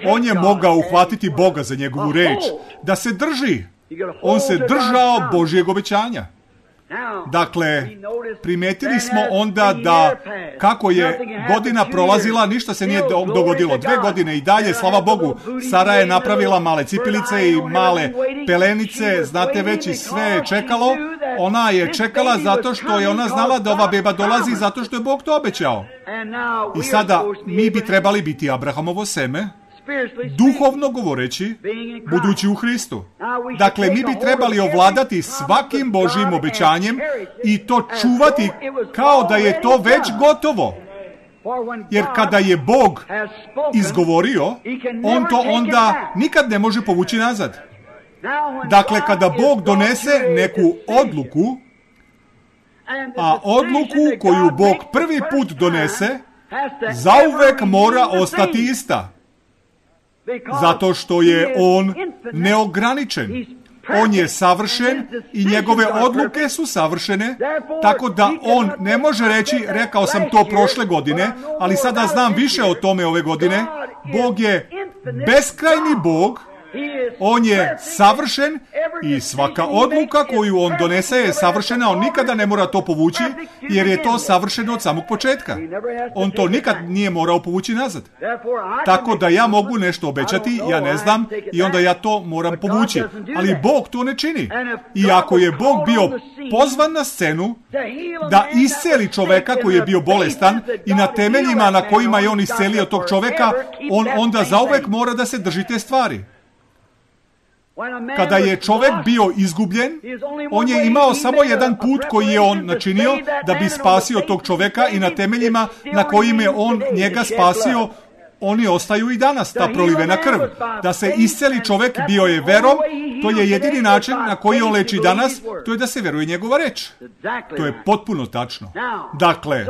On je mogao uhvatiti Boga za njegovu reč, da se drži. On se držao Božjeg obećanja. Dakle, primetili smo onda da kako je godina prolazila, ništa se nije dogodilo. Dve godine i dalje, slava Bogu, Sara je napravila male cipilice i male pelenice, znate već, i sve je čekalo. Ona je čekala zato što je ona znala da ova beba dolazi, zato što je Bog to obećao. I sada mi bi trebali biti Abrahamovo seme, duhovno govoreći, budući u Hristu. Dakle, mi bi trebali ovladati svakim Božjim obećanjem i to čuvati kao da je to već gotovo. Jer kada je Bog izgovorio, on to onda nikad ne može povući nazad. Dakle, kada Bog donese neku odluku, a odluku koju Bog prvi put donese, zauvek mora ostati ista. Zato što je on neograničen. On je savršen i njegove odluke su savršene, tako da on ne može reći, rekao sam to prošle godine, ali sada znam više o tome ove godine. Bog je beskrajni Bog, on je savršen i svaka odluka koju on donese je savršena, on nikada ne mora to povući, jer je to savršeno od samog početka. On to nikad nije morao povući nazad. Tako da ja mogu nešto obećati, ja ne znam, i onda ja to moram povući. Ali Bog to ne čini. I ako je Bog bio pozvan na scenu da isceli čoveka koji je bio bolestan i na temeljima na kojima je on iscelio tog čoveka, on onda zauvek mora da se drži te stvari. Kada je čovjek bio izgubljen, on je imao samo jedan put koji je on načinio da bi spasio tog čovjeka i na temeljima na kojim je on njega spasio, oni ostaju i danas, ta prolivena krv. Da se isceli čovjek, bio je verom, to je jedini način na koji on leči danas, to je da se veruje njegova reč. To je potpuno tačno. Dakle,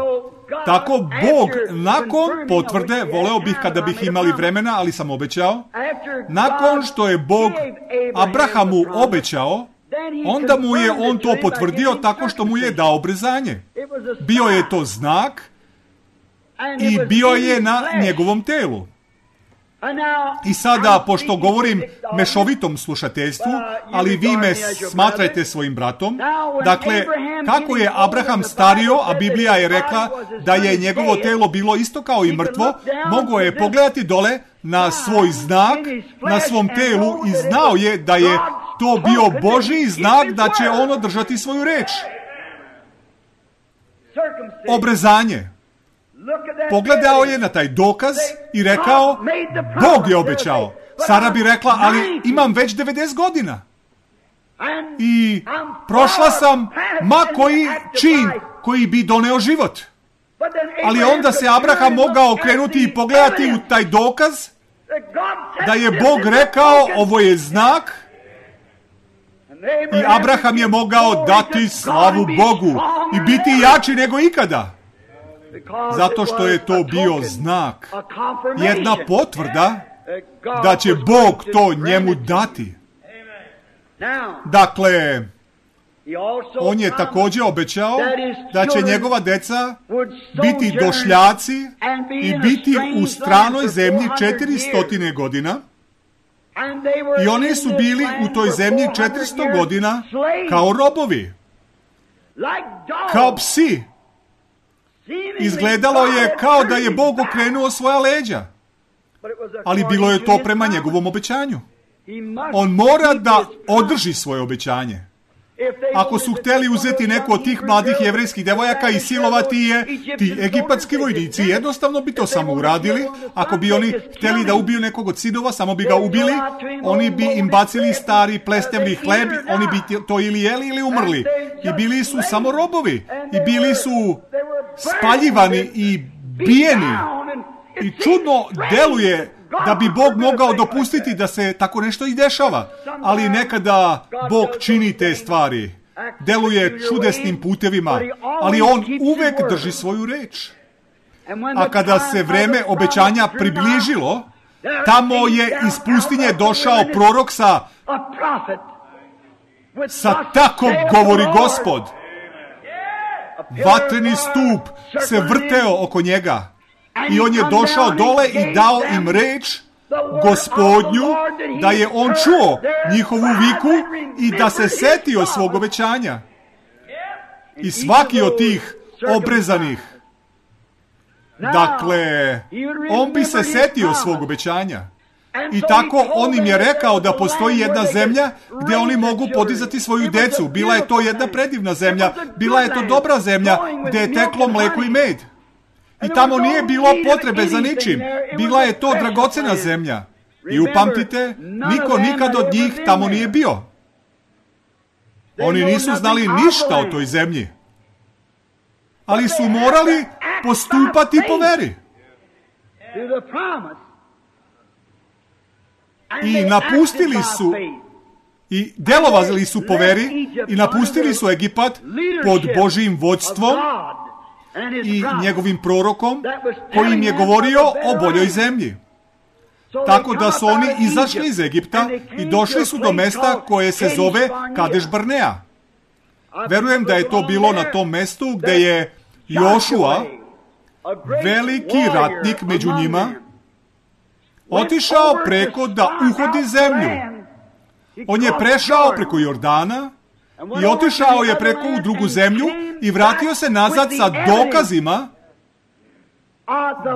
tako Bog nakon potvrde, voleo bih kada bih imali vremena, ali sam obećao, nakon što je Bog Abrahamu obećao, onda mu je on to potvrdio tako što mu je dao obrzanje. Bio je to znak i bio je na njegovom telu. I sada, pošto govorim mešovitom slušateljstvu, ali vi me smatrajte svojim bratom, dakle, kako je Abraham stario, a Biblija je rekla da je njegovo telo bilo isto kao i mrtvo, mogao je pogledati dole na svoj znak, na svom telu i znao je da je to bio Božji znak da će on održati svoju reč. obrezanje. Pogledao je na taj dokaz i rekao, Bog je obećao. Sara bi rekla, ali imam već devedeset godina. I prošla sam ma koji čin koji bi doneo život. Ali onda se Abraham mogao okrenuti i pogledati u taj dokaz da je Bog rekao, ovo je znak. I Abraham je mogao dati slavu Bogu i biti jači nego ikada. Zato što je to bio znak, jedna potvrda da će Bog to njemu dati. Dakle, on je također obećao da će njegova deca biti došljaci i biti u stranoj zemlji četiristo godina. I oni su bili u toj zemlji četiristo godina kao robovi, kao psi. Izgledalo je kao da je Bog okrenuo svoja leđa, ali bilo je to prema njegovom obećanju. On mora da održi svoje obećanje. Ako su htjeli uzeti neku od tih mladih jevrejskih devojaka i silovati je, ti egipatski vojnici jednostavno bi to samo uradili. Ako bi oni htjeli da ubiju nekog od sinova, samo bi ga ubili. Oni bi im bacili stari plestevni hleb, oni bi to ili jeli ili umrli. I bili su samo robovi. I bili su spaljivani i bijeni. I čudno deluje da bi Bog mogao dopustiti da se tako nešto i dešava. Ali nekada Bog čini te stvari. Deluje čudesnim putevima, ali on uvek drži svoju reč. A kada se vreme obećanja približilo, tamo je iz pustinje došao prorok sa sa tako govori Gospod. Vatreni stup se vrteo oko njega. I on je došao dole i dao im reč Gospodnju, da je on čuo njihovu viku i da se setio svog obećanja. I svaki od tih obrezanih, dakle, on bi se setio svog obećanja. I tako on im je rekao da postoji jedna zemlja gdje oni mogu podizati svoju decu. Bila je to jedna predivna zemlja, bila je to dobra zemlja gdje je teklo mleko i med. I tamo nije bilo potrebe za ničim. Bila je to dragocena zemlja. I upamtite, niko nikad od njih tamo nije bio. Oni nisu znali ništa o toj zemlji. Ali su morali postupati po veri. I napustili su, i delovali su po veri, i napustili su Egipat pod Božjim vodstvom i njegovim prorokom koji im je govorio o boljoj zemlji. Tako da su oni izašli iz Egipta i došli su do mesta koje se zove Kadeš Barnea. Verujem da je to bilo na tom mestu gdje je Jošua, veliki ratnik među njima, otišao preko da uhodi zemlju. On je prešao preko Jordana i otišao je preko u drugu zemlju i vratio se nazad sa dokazima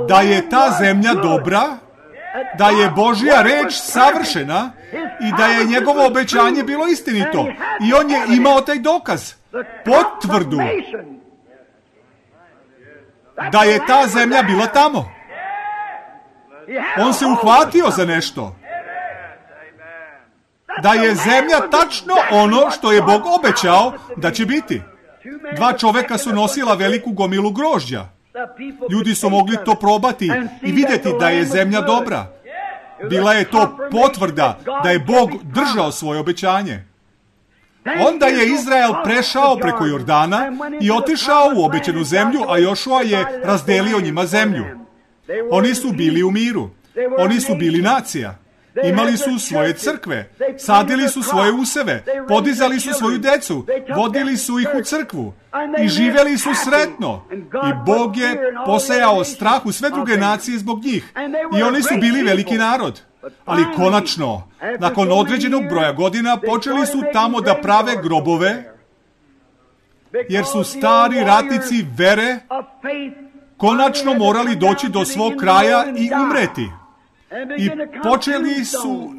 da je ta zemlja dobra, da je Božja reč savršena i da je njegovo obećanje bilo istinito. I on je imao taj dokaz, potvrdu da je ta zemlja bila tamo. On se uhvatio za nešto. Da je zemlja tačno ono što je Bog obećao da će biti. Dva čoveka su nosila veliku gomilu grožđa. Ljudi su mogli to probati i vidjeti da je zemlja dobra. Bila je to potvrda da je Bog držao svoje obećanje. Onda je Izrael prešao preko Jordana i otišao u obećanu zemlju, a Jošua je razdelio njima zemlju. Oni su bili u miru. Oni su bili nacija. Imali su svoje crkve, sadili su svoje useve, podizali su svoju decu, vodili su ih u crkvu i živjeli su sretno. I Bog je posejao strah u sve druge nacije zbog njih. I oni su bili veliki narod. Ali konačno, nakon određenog broja godina, počeli su tamo da prave grobove, jer su stari ratnici vere konačno morali doći do svog kraja i umreti. I počeli su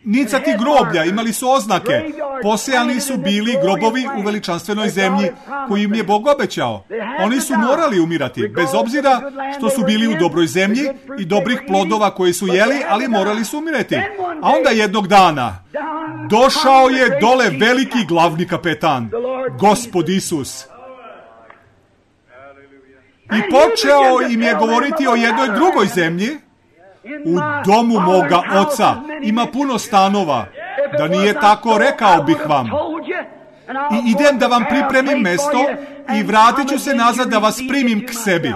nicati groblja, imali su oznake. Posejani su bili grobovi u veličanstvenoj zemlji koju im je Bog obećao. Oni su morali umirati, bez obzira što su bili u dobroj zemlji i dobrih plodova koje su jeli, ali morali su umirati. A onda jednog dana došao je dole veliki glavni kapetan, Gospod Isus. I počeo im je govoriti o jednoj drugoj zemlji. U domu moga oca ima puno stanova. Da nije tako, rekao bih vam. I idem da vam pripremim mesto i vratit ću se nazad da vas primim k sebi.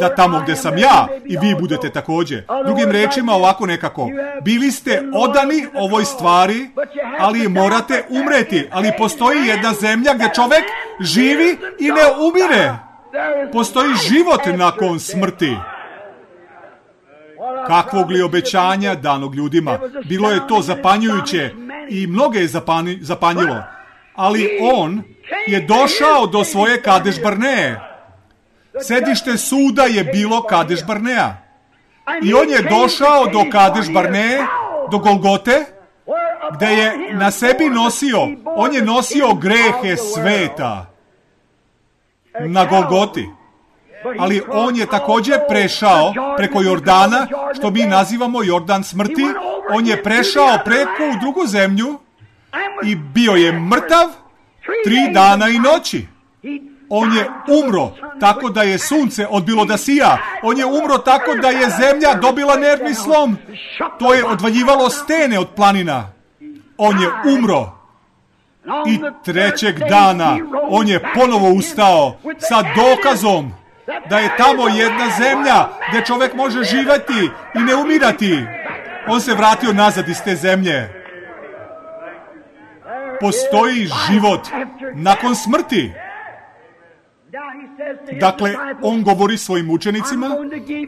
Da tamo gdje sam ja i vi budete također. Drugim rečima ovako nekako. Bili ste odani ovoj stvari, ali morate umreti. Ali postoji jedna zemlja gdje čovjek živi i ne umire. Postoji život nakon smrti. Kakvog li obećanja danog ljudima. Bilo je to zapanjujuće i mnoge je zapani, zapanjilo. Ali on je došao do svoje Kadeš Barneje. Sedište suda je bilo Kadeš Barnea. I on je došao do Kadeš Barneje, do Golgote, gdje je na sebi nosio, on je nosio grehe sveta. Na Golgoti. Ali on je također prešao preko Jordana, što mi nazivamo Jordan smrti. On je prešao preko u drugu zemlju i bio je mrtav tri dana i noći. On je umro tako da je sunce odbilo da sija. On je umro tako da je zemlja dobila nervni slom. To je odvaljivalo stene od planina. On je umro. I trećeg dana on je ponovo ustao sa dokazom da je tamo jedna zemlja gdje čovjek može živjeti i ne umirati. On se vratio nazad iz te zemlje. Postoji život nakon smrti. Dakle, on govori svojim učenicima,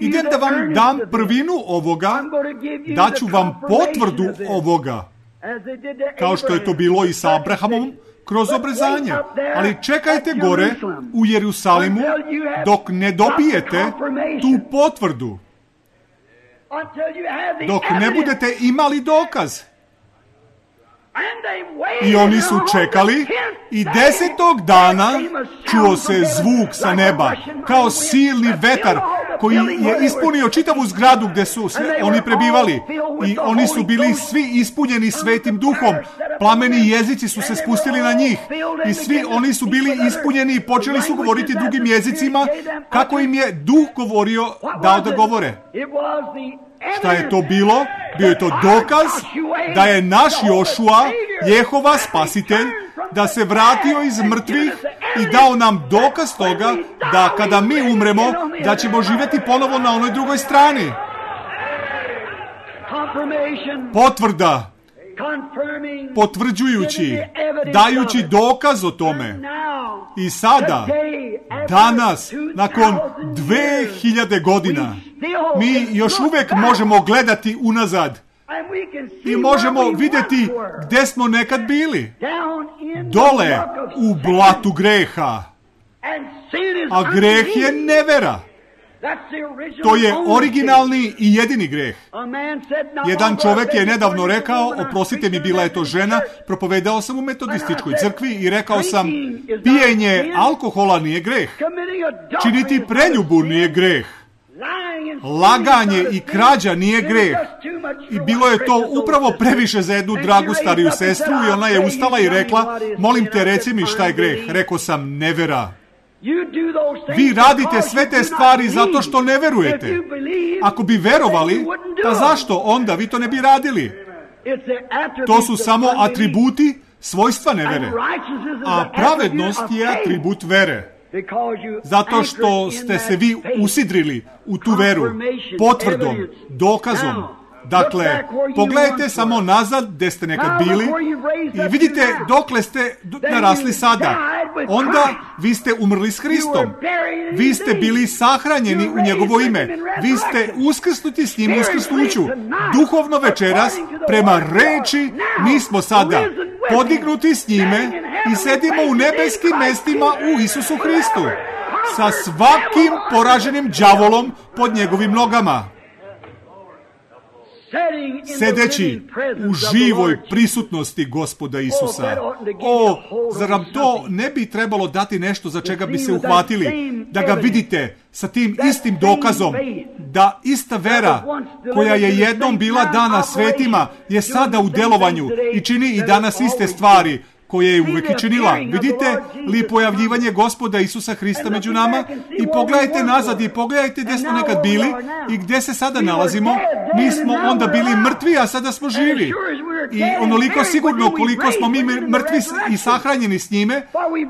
idem da vam dam prvinu ovoga, daću vam potvrdu ovoga, kao što je to bilo i sa Abrahamom kroz obrezanje. Ali čekajte gore u Jerusalimu dok ne dobijete tu potvrdu, dok ne budete imali dokaz. I oni su čekali i desetog dana čuo se zvuk sa neba, kao silni vetar koji je ispunio čitavu zgradu gdje su oni prebivali. I oni su bili svi ispunjeni Svetim Duhom. Plameni jezici su se spustili na njih. I svi oni su bili ispunjeni i počeli su govoriti drugim jezicima kako im je Duh govorio dao da govore. Šta je to bilo? Bio je to dokaz da je naš Jošua, Jehova spasitelj, da se vratio iz mrtvih i dao nam dokaz toga da kada mi umremo, da ćemo živjeti ponovo na onoj drugoj strani. Potvrda, potvrđujući, dajući dokaz o tome. I sada, danas, nakon dve hiljade godina, mi još uvijek možemo gledati unazad i možemo vidjeti gdje smo nekad bili. Dole u blatu greha. A greh je nevera. To je originalni i jedini greh. Jedan čovjek je nedavno rekao, oprostite mi, bila je to žena, propovedao sam u metodističkoj crkvi i rekao sam, pijenje alkohola nije greh. Činiti preljubu nije greh. Laganje i krađa nije greh. I bilo je to upravo previše za jednu dragu stariju sestru i ona je ustala i rekla, molim te, reci mi šta je greh. Rekao sam, nevera. Vi radite sve te stvari zato što ne verujete. Ako bi verovali, pa zašto onda vi to ne bi radili? To su samo atributi svojstva nevere. A pravednost je atribut vere. Zato što ste se vi usidrili u tu veru, potvrdom, dokazom. Dakle, pogledajte samo nazad gdje ste nekad bili i vidite dokle ste narasli sada. Onda vi ste umrli s Hristom. Vi ste bili sahranjeni u njegovo ime. Vi ste uskrsnuti s njim uskrsnuću. Duhovno večeras, prema reči, mi smo sada podignuti s njime i sedimo u nebeskim mestima u Isusu Hristu. Sa svakim poraženim đavolom pod njegovim nogama. sedeći u živoj prisutnosti Gospoda Isusa. O, zar nam to ne bi trebalo dati nešto za čega bi se uhvatili? Da ga vidite sa tim istim dokazom, da ista vera koja je jednom bila dana svetima je sada u delovanju i čini i danas iste stvari koje je uvek i činila. Vidite li pojavljivanje Gospoda Isusa Hrista među nama? I pogledajte nazad i pogledajte gde smo nekad bili i gde se sada nalazimo. Mi smo onda bili mrtvi, a sada smo živi. I onoliko sigurno koliko smo mi mrtvi i sahranjeni s njime,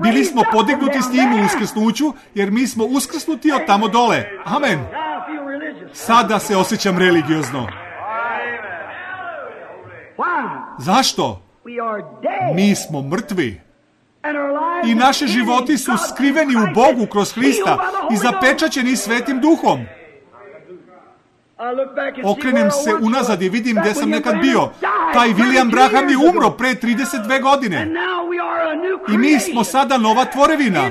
bili smo podignuti s njim u uskrsnuću, jer mi smo uskrsnuti od tamo dole. Amen. Sada se osjećam religiozno. Zašto? Mi smo mrtvi i naši životi su skriveni u Bogu kroz Hrista i zapečaćeni Svetim Duhom. Okrenem se unazad i vidim gde sam nekad bio. Taj William Branham je umro pre trideset dve godine. I mi smo sada nova tvorevina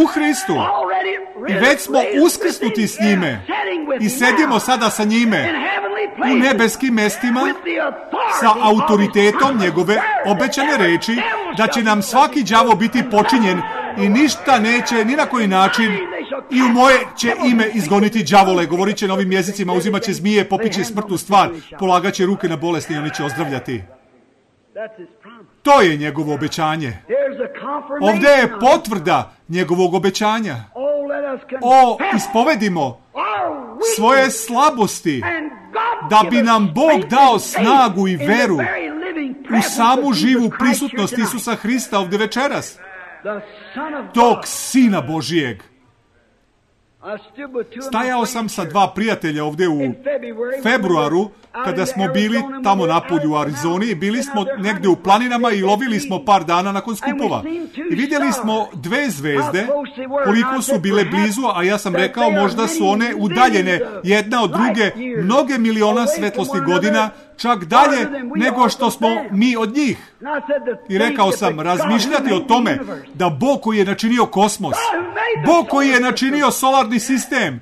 u Hristu. I već smo uskrsnuti s njime. I sedimo sada sa njime u nebeskim mestima sa autoritetom njegove obećane reči da će nam svaki đavo biti počinjen i ništa neće ni na koji način i u moje će ime izgoniti đavole, govorit će novim jezicima, uzimat će zmije, popiće smrtnu stvar, polagat će ruke na bolesni i oni će ozdravljati. To je njegovo obećanje. Ovdje je potvrda njegovog obećanja. O, ispovedimo svoje slabosti da bi nam Bog dao snagu i veru u samu živu prisutnost Isusa Hrista ovdje večeras, tog Sina Božijeg. Stajao sam sa dva prijatelja ovdje u februaru, kada smo bili tamo napolju u Arizoni, bili smo negdje u planinama i lovili smo par dana nakon skupova. I vidjeli smo dve zvezde, koliko su bile blizu, a ja sam rekao možda su one udaljene jedna od druge mnoge miliona svetlosti godina, čak dalje nego što smo mi od njih. I rekao sam, razmišljati o tome da Bog koji je načinio kosmos, Bog koji je načinio solarni sistem,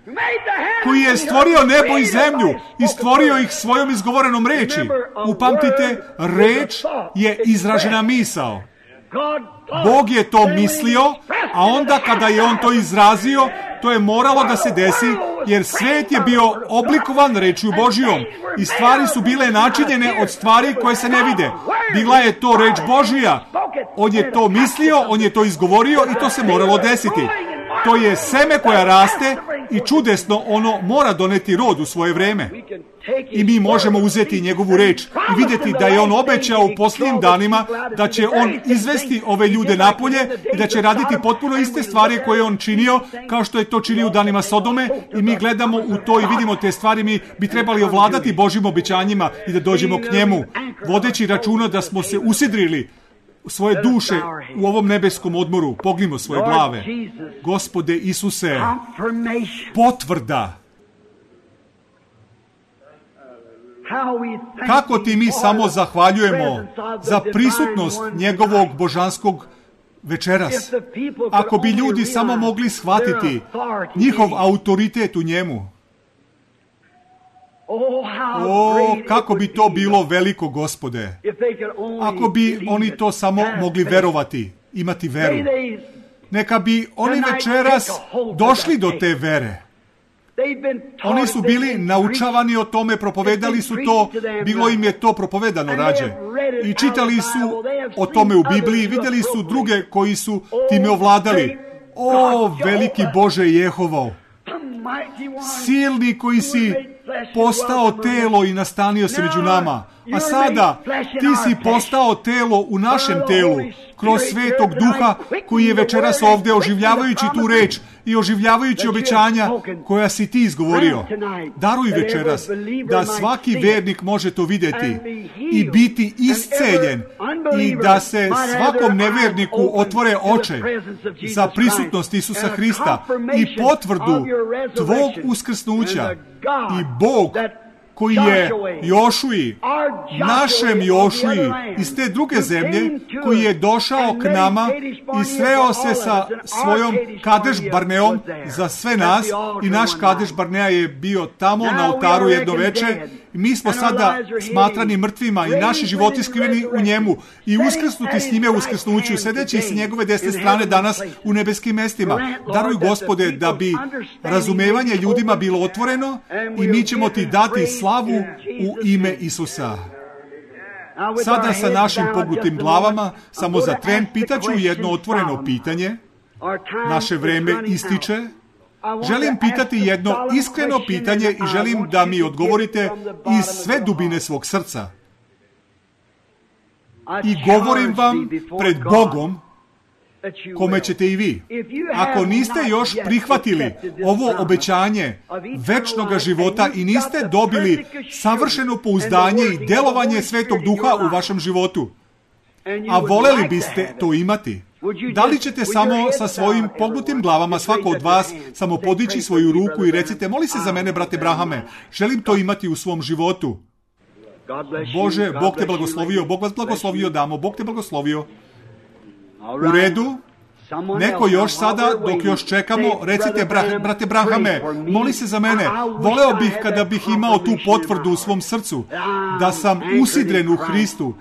koji je stvorio nebo i zemlju i stvorio ih svojom izgovorenom reči. Upamtite, reč je izražena misao. Bog je to mislio, a onda kada je on to izrazio, to je moralo da se desi, jer svet je bio oblikovan rečju Božijom i stvari su bile načinjene od stvari koje se ne vide. Bila je to reč Božija. On je to mislio, on je to izgovorio i to se moralo desiti. To je seme koja raste i čudesno ono mora doneti rod u svoje vreme. I mi možemo uzeti njegovu reč i vidjeti da je on obećao u posljednjim danima da će on izvesti ove ljude napolje i da će raditi potpuno iste stvari koje je on činio, kao što je to činio u danima Sodome, i mi gledamo u to i vidimo te stvari. Mi bi trebali ovladati Božjim obećanjima i da dođemo k njemu, vodeći računa da smo se usidrili svoje duše u ovom nebeskom odmoru. Pognimo svoje glave. Gospode Isuse, potvrda. Kako ti mi samo zahvaljujemo za prisutnost njegovog božanskog večeras. Ako bi ljudi samo mogli shvatiti njihov autoritet u njemu. O, kako bi to bilo veliko, Gospode. Ako bi oni to samo mogli verovati, imati veru. Neka bi oni večeras došli do te vere. Oni su bili naučavani o tome, propovedali su to, bilo im je to propovedano rađe. I čitali su o tome u Bibliji, vidjeli su druge koji su time ovladali. O, veliki Bože Jehovo, silni koji si postao telo i nastanio se među nama. A sada ti si postao telo u našem telu, kroz Svetog Duha koji je večeras ovdje oživljavajući tu reč i oživljavajući obećanja koja si ti izgovorio. Daruj večeras da svaki vernik može to vidjeti i biti isceljen i da se svakom neverniku otvore oči za prisutnost Isusa Hrista i potvrdu tvog uskrsnuća. I Bog koji je Jošuji, našem Jošuji iz te druge zemlje, koji je došao k nama i sreo se sa svojom Kadeš Barneom za sve nas, i naš Kadeš Barnea je bio tamo na oltaru jedno veče Mi smo sada smatrani mrtvima i naši životi skriveni u njemu i uskrsnuti s njime u uskrsnuću, sedeći s njegove desne strane danas u nebeskim mestima. Daruj, Gospode, da bi razumevanje ljudima bilo otvoreno i mi ćemo ti dati slavu u ime Isusa. Sada sa našim pognutim glavama, samo za tren, pitaću jedno otvoreno pitanje. Naše vreme ističe. Želim pitati jedno iskreno pitanje i želim da mi odgovorite iz sve dubine svog srca. I govorim vam pred Bogom, kome ćete i vi. Ako niste još prihvatili ovo obećanje večnog života i niste dobili savršeno pouzdanje i delovanje Svetog Duha u vašem životu, a voleli biste to imati, da li ćete samo sa svojim pognutim glavama, svako od vas, samo podići svoju ruku i recite, moli se za mene, brate Brahame, želim to imati u svom životu. Bože, Bog te blagoslovio, Bog vas blagoslovio, damo, Bog te blagoslovio. U redu, neko još sada, dok još čekamo, recite, bra, brate Brahame, moli se za mene, voleo bih kada bih imao tu potvrdu u svom srcu, da sam usidren u Hristu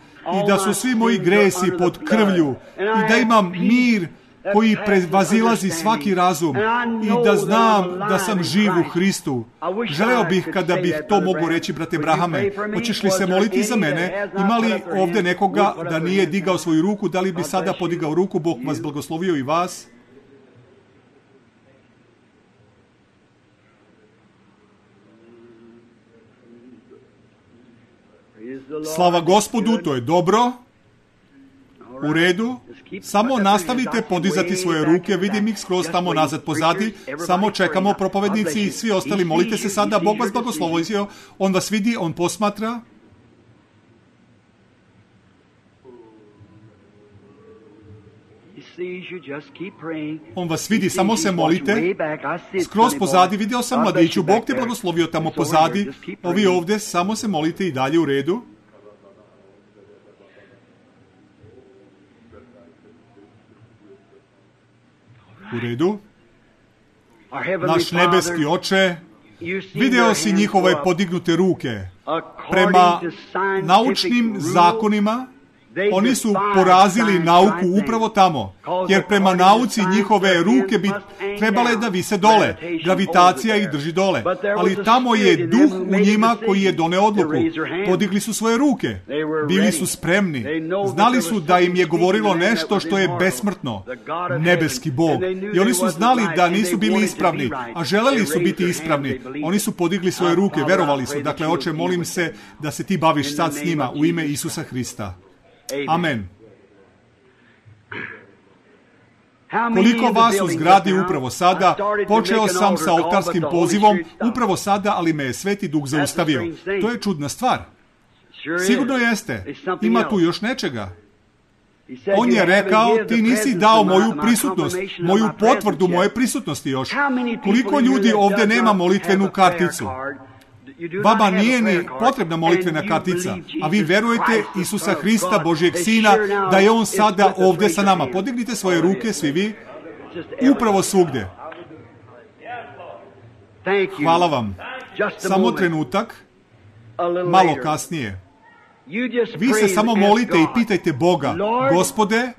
i da su svi moji gresi pod krvlju i da imam mir koji prevazilazi svaki razum i da znam da sam živ u Hristu. Želeo bih kada bih to mogu reći, brate Brahame. Hoćeš li se moliti za mene? Ima li ovdje nekoga da nije digao svoju ruku? Da li bi sada podigao ruku? Bog vas blagoslovio i vas. Slava Gospodu, to je dobro. U redu. Samo nastavite podizati svoje ruke, vidim ih skroz tamo nazad pozadi, samo čekamo propovednici i svi ostali, molite se sada, Bog vas blagoslovio, on vas vidi, on posmatra. On vas vidi, samo se molite. Skroz pozadi, vidio sam mladiću, Bog te blagoslovio tamo pozadi, ovi ovdje, samo se molite i dalje u redu. U redu. Naš nebeski Oče, video si njihove podignute ruke. Prema naučnim zakonima, oni su porazili nauku upravo tamo, jer prema nauci njihove ruke bi trebale da vise dole, gravitacija ih drži dole, ali tamo je duh u njima koji je doneo odluku. Podigli su svoje ruke, bili su spremni, znali su da im je govorilo nešto što je besmrtno, nebeski Bog, i oni su znali da nisu bili ispravni, a želeli su biti ispravni. Oni su podigli svoje ruke, verovali su. Dakle, Oče, molim se da se ti baviš sad s njima u ime Isusa Hrista. Amen. Koliko vas u zgradi upravo sada, počeo sam sa oltarskim pozivom upravo sada, ali me je Sveti Duh zaustavio. To je čudna stvar. Sigurno jeste. Ima tu još nečega. On je rekao, ti nisi dao moju prisutnost, moju potvrdu moje prisutnosti još. Koliko ljudi ovdje nema molitvenu karticu? Vama nije ni potrebna molitvena kartica, a vi verujete Isusa Hrista, Božijeg Sina, da je On sada ovdje sa nama. Podignite svoje ruke, svi vi, upravo svugdje. Hvala vam. Samo trenutak, malo kasnije. Vi se samo molite i pitajte Boga, Gospode,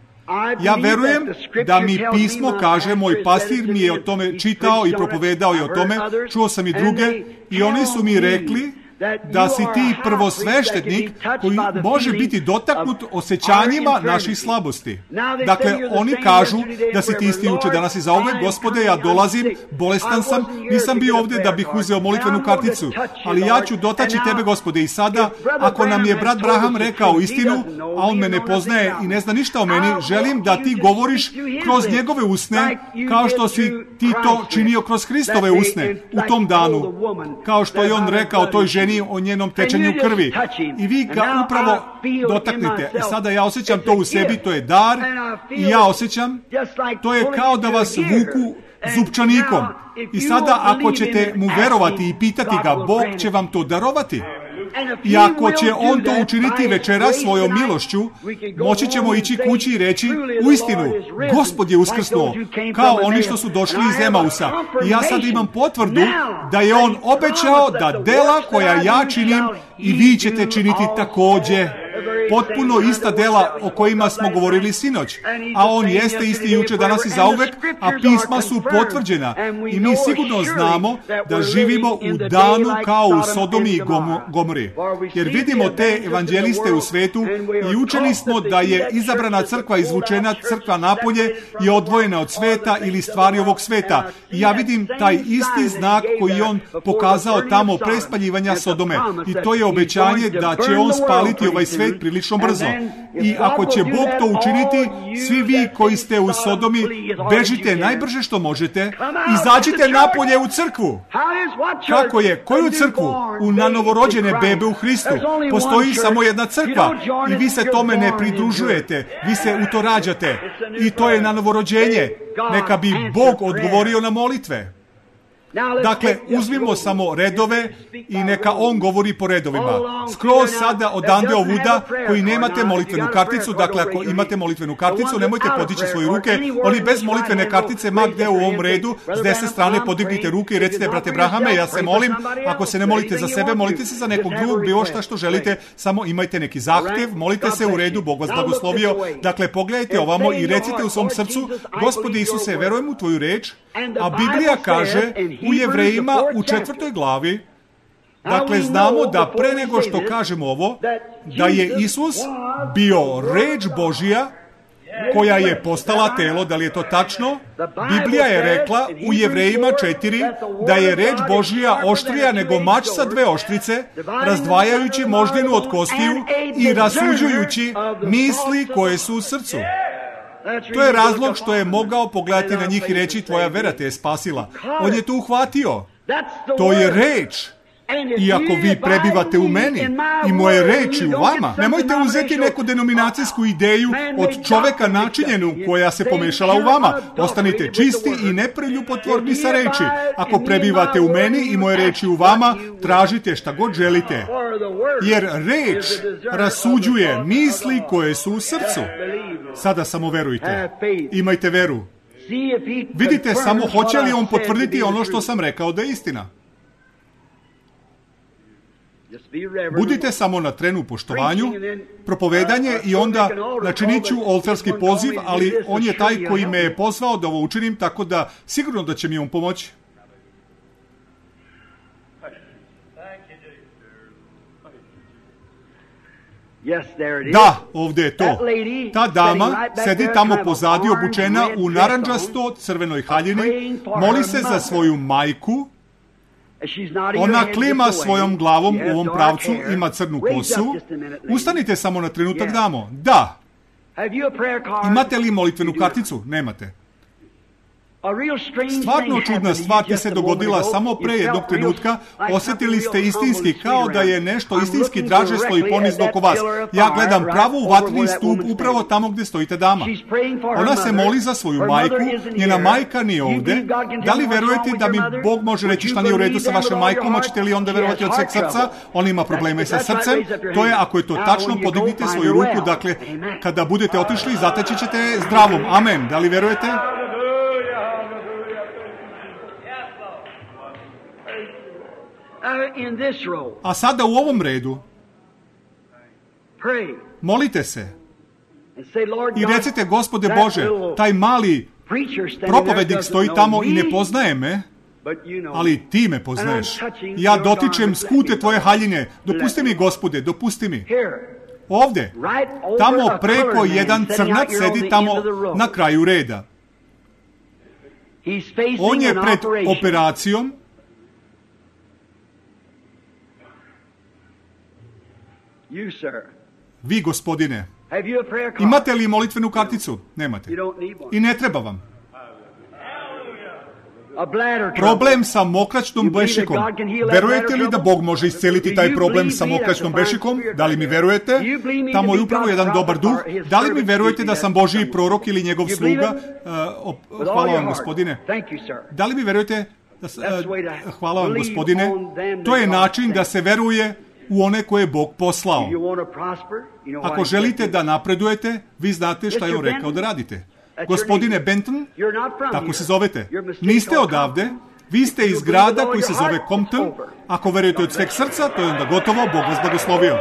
ja verujem da mi pismo kaže, moj pastir mi je o tome čitao i propovedao je o tome, čuo sam i druge i oni su mi rekli da si ti prvosveštenik koji može biti dotaknut osjećanjima naših slabosti. Dakle, oni kažu da si ti isti juče, danas i zauvek. Gospode, ja dolazim, bolestan sam, nisam bio ovdje da bih uzeo molitvenu karticu, ali ja ću dotaći tebe, Gospode. I sada, ako nam je brat Braham rekao istinu, a on me ne poznaje i ne zna ništa o meni, želim da ti govoriš kroz njegove usne, kao što si ti to činio kroz Hristove usne u tom danu, kao što je on rekao toj ženi o njenom tečenju krvi. I vi ga upravo dotaknite. I sada ja osjećam to u sebi, to je dar, i ja osjećam, to je kao da vas vuku zupčanikom. I sada ako ćete mu verovati i pitati ga, Bog će vam to darovati. I ako će on to učiniti večera svojom milošću, moći ćemo ići kući i reći, uistinu, Gospod je uskrsnuo, kao oni što su došli iz Emausa. I ja sad imam potvrdu da je on obećao da dela koja ja činim i vi ćete činiti također. Potpuno ista dela o kojima smo govorili sinoć. A on jeste isti juče, danas i zauvek, a pisma su potvrđena. I mi sigurno znamo da živimo u danu kao u Sodomi i Gomori. Jer vidimo te evanđeliste u svetu i učeni smo da je izabrana crkva izvučena crkva napolje i odvojena od sveta ili stvari ovog sveta. I ja vidim taj isti znak koji on pokazao tamo pre spaljivanja Sodome. I to je obećanje da će on spaliti ovaj svet prilično brzo. I ako će Bog to učiniti, svi vi koji ste u Sodomi, bežite najbrže što možete, izađite napolje u crkvu. Kako je? Koju crkvu? U nanovorođene bebe u Hristu. Postoji samo jedna crkva i vi se tome ne pridružujete, vi se u to rađate. I to je nanovorođenje. Neka bi Bog odgovorio na molitve. Dakle, uzmimo samo redove i neka on govori po redovima. Skroz sada odande ovuda koji nemate molitvenu karticu, dakle ako imate molitvenu karticu, nemojte podići svoje ruke, oni bez molitvene kartice, ma gde u ovom redu, s desne strane podignite ruke i recite, brate Brahame, ja se molim, ako se ne molite za sebe, molite se za nekog drugog, bilo šta što želite, samo imajte neki zahtev, molite se u redu, Bog vas blagoslovio. Dakle, pogledajte ovamo i recite u svom srcu, Gospode Isuse, verujem u tvoju reč, a Biblija kaže u Jevrejima u četvrtoj glavi, dakle znamo da pre nego što kažemo ovo, da je Isus bio reč Božija koja je postala telo, da li je to tačno? Biblija je rekla u Jevrejima četiri da je reč Božija oštrija nego mač sa dve oštrice, razdvajajući moždinu od kostiju i rasuđujući misli koje su u srcu. To je razlog što je mogao pogledati na njih i reći, tvoja vera te je spasila. On je to uhvatio. To je reč. I ako vi prebivate u meni i moje reči u vama, nemojte uzeti neku denominacijsku ideju od čoveka načinjenu koja se pomešala u vama. Ostanite čisti i nepreljubotvorni sa reči. Ako prebivate u meni i moje reči u vama, tražite šta god želite. Jer reč rasuđuje misli koje su u srcu. Sada samo verujte. Imajte veru. Vidite samo hoće li on potvrditi ono što sam rekao da je istina. Budite samo na trenu u poštovanju, propovedanje i onda načinit ću oltarski poziv, ali on je taj koji me je pozvao da ovo učinim, tako da sigurno da će mi on pomoći. Da, ovdje je to. Ta dama sedi tamo pozadi obučena u narandžasto crvenoj haljini, moli se za svoju majku. Ona klima svojom glavom u ovom pravcu, ima crnu kosu. Ustanite samo na trenutak damo. Da. Imate li molitvenu karticu? Nemate. Stvarno čudna stvar ti se dogodila samo pre jednog trenutka. Osjetili ste istinski, kao da je nešto istinski draže stoji ponizno oko vas. Ja gledam pravo u vatreni stup upravo tamo gdje stojite dama. Ona se moli za svoju majku, njena majka nije ovdje. Da li verujete da mi Bog može reći šta nije u redu sa vašom majkom? Hoćete li onda verovati od sveg srca? On ima probleme sa srcem. To je, ako je to tačno, podignite svoju ruku. Dakle, kada budete otišli, zateći ćete zdravom. Amen. Da li verujete? A sada u ovom redu molite se i recite, Gospode Bože, taj mali propovednik stoji tamo i ne poznaje me, ali ti me poznaješ. Ja dotičem skute tvoje haljine. Dopusti mi, Gospode, dopusti mi. Ovdje, tamo preko jedan crnac sedi tamo na kraju reda. On je pred operacijom. Vi, gospodine, imate li molitvenu karticu? Nemate. I ne treba vam. Problem sa mokraćnom bešikom. Verujete li da Bog može isceliti taj problem sa mokraćnom bešikom? Da li mi verujete? Tamo je upravo jedan dobar duh. Da li mi verujete da sam Božji prorok ili njegov sluga? Uh, hvala vam, gospodine. Da li mi verujete? Da, uh, hvala vam, gospodine. To je način da se veruje u one koje je Bog poslao. Ako želite da napredujete, vi znate šta je on rekao da radite. Gospodine Benton, tako se zovete, niste odavde, vi ste iz grada koji se zove Compton. Ako verujete od sveg srca, to je onda gotovo, Bog vas blagoslovio.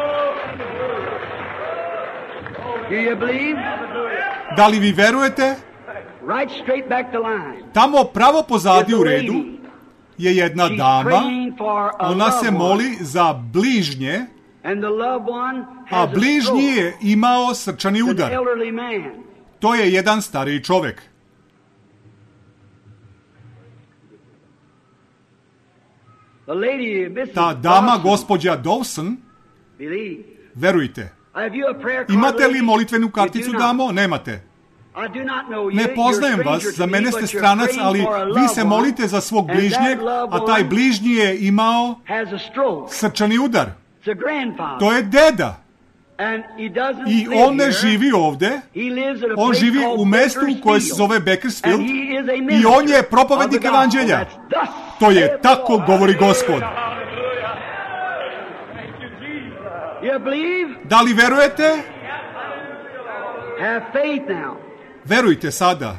Da li vi verujete? Tamo pravo pozadi u redu je jedna dama, ona se moli za bližnje, a bližnji je imao srčani udar. To je jedan stariji čovek. Ta dama, gospođa Dawson, verujte. Imate li molitvenu karticu, damo? Nemate. Ne poznajem vas, za mene ste stranac, ali vi se molite za svog bližnjeg, a taj bližnji je imao srčani udar. To je deda. I on ne živi ovde, on živi u mestu koje se zove Bakersfield i on je propovednik evanđelja. To je tako govori Gospod. Da li verujete? Verujte sada.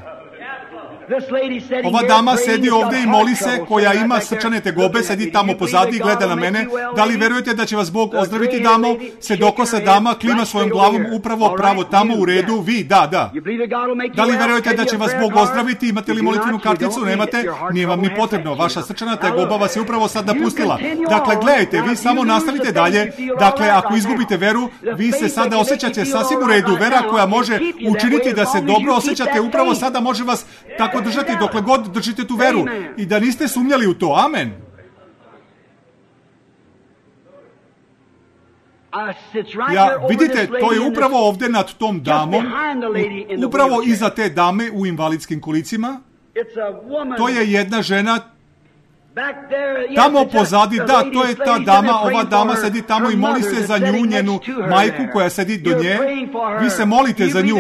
Ova dama sedi ovde i moli se, koja ima srčane tegobe, sedi tamo pozadi i gleda na mene. Da li verujete da će vas Bog ozdraviti, damo? Sedokosa dama klima svojom glavom upravo pravo tamo u redu. Vi, da, da. Da li verujete da će vas Bog ozdraviti? Imate li molitvenu karticu? Nemate? Nije vam ni potrebno. Vaša srčana tegoba vas je upravo sad napustila. Dakle, gledajte, vi samo nastavite dalje. Dakle, ako izgubite veru, vi se sada osjećate sasvim u redu. Vera koja može učiniti da se dobro osjećate upravo sada može vas tako držati dokle god držite tu veru i da niste sumnjali u to. Amen. Ja, vidite, to je upravo ovde nad tom damom, upravo iza te dame u invalidskim kolicima. To je jedna žena tamo pozadi, da, to je ta dama, ova dama sedi tamo i moli se za nju, njenu majku koja sedi do nje. Vi se molite za nju.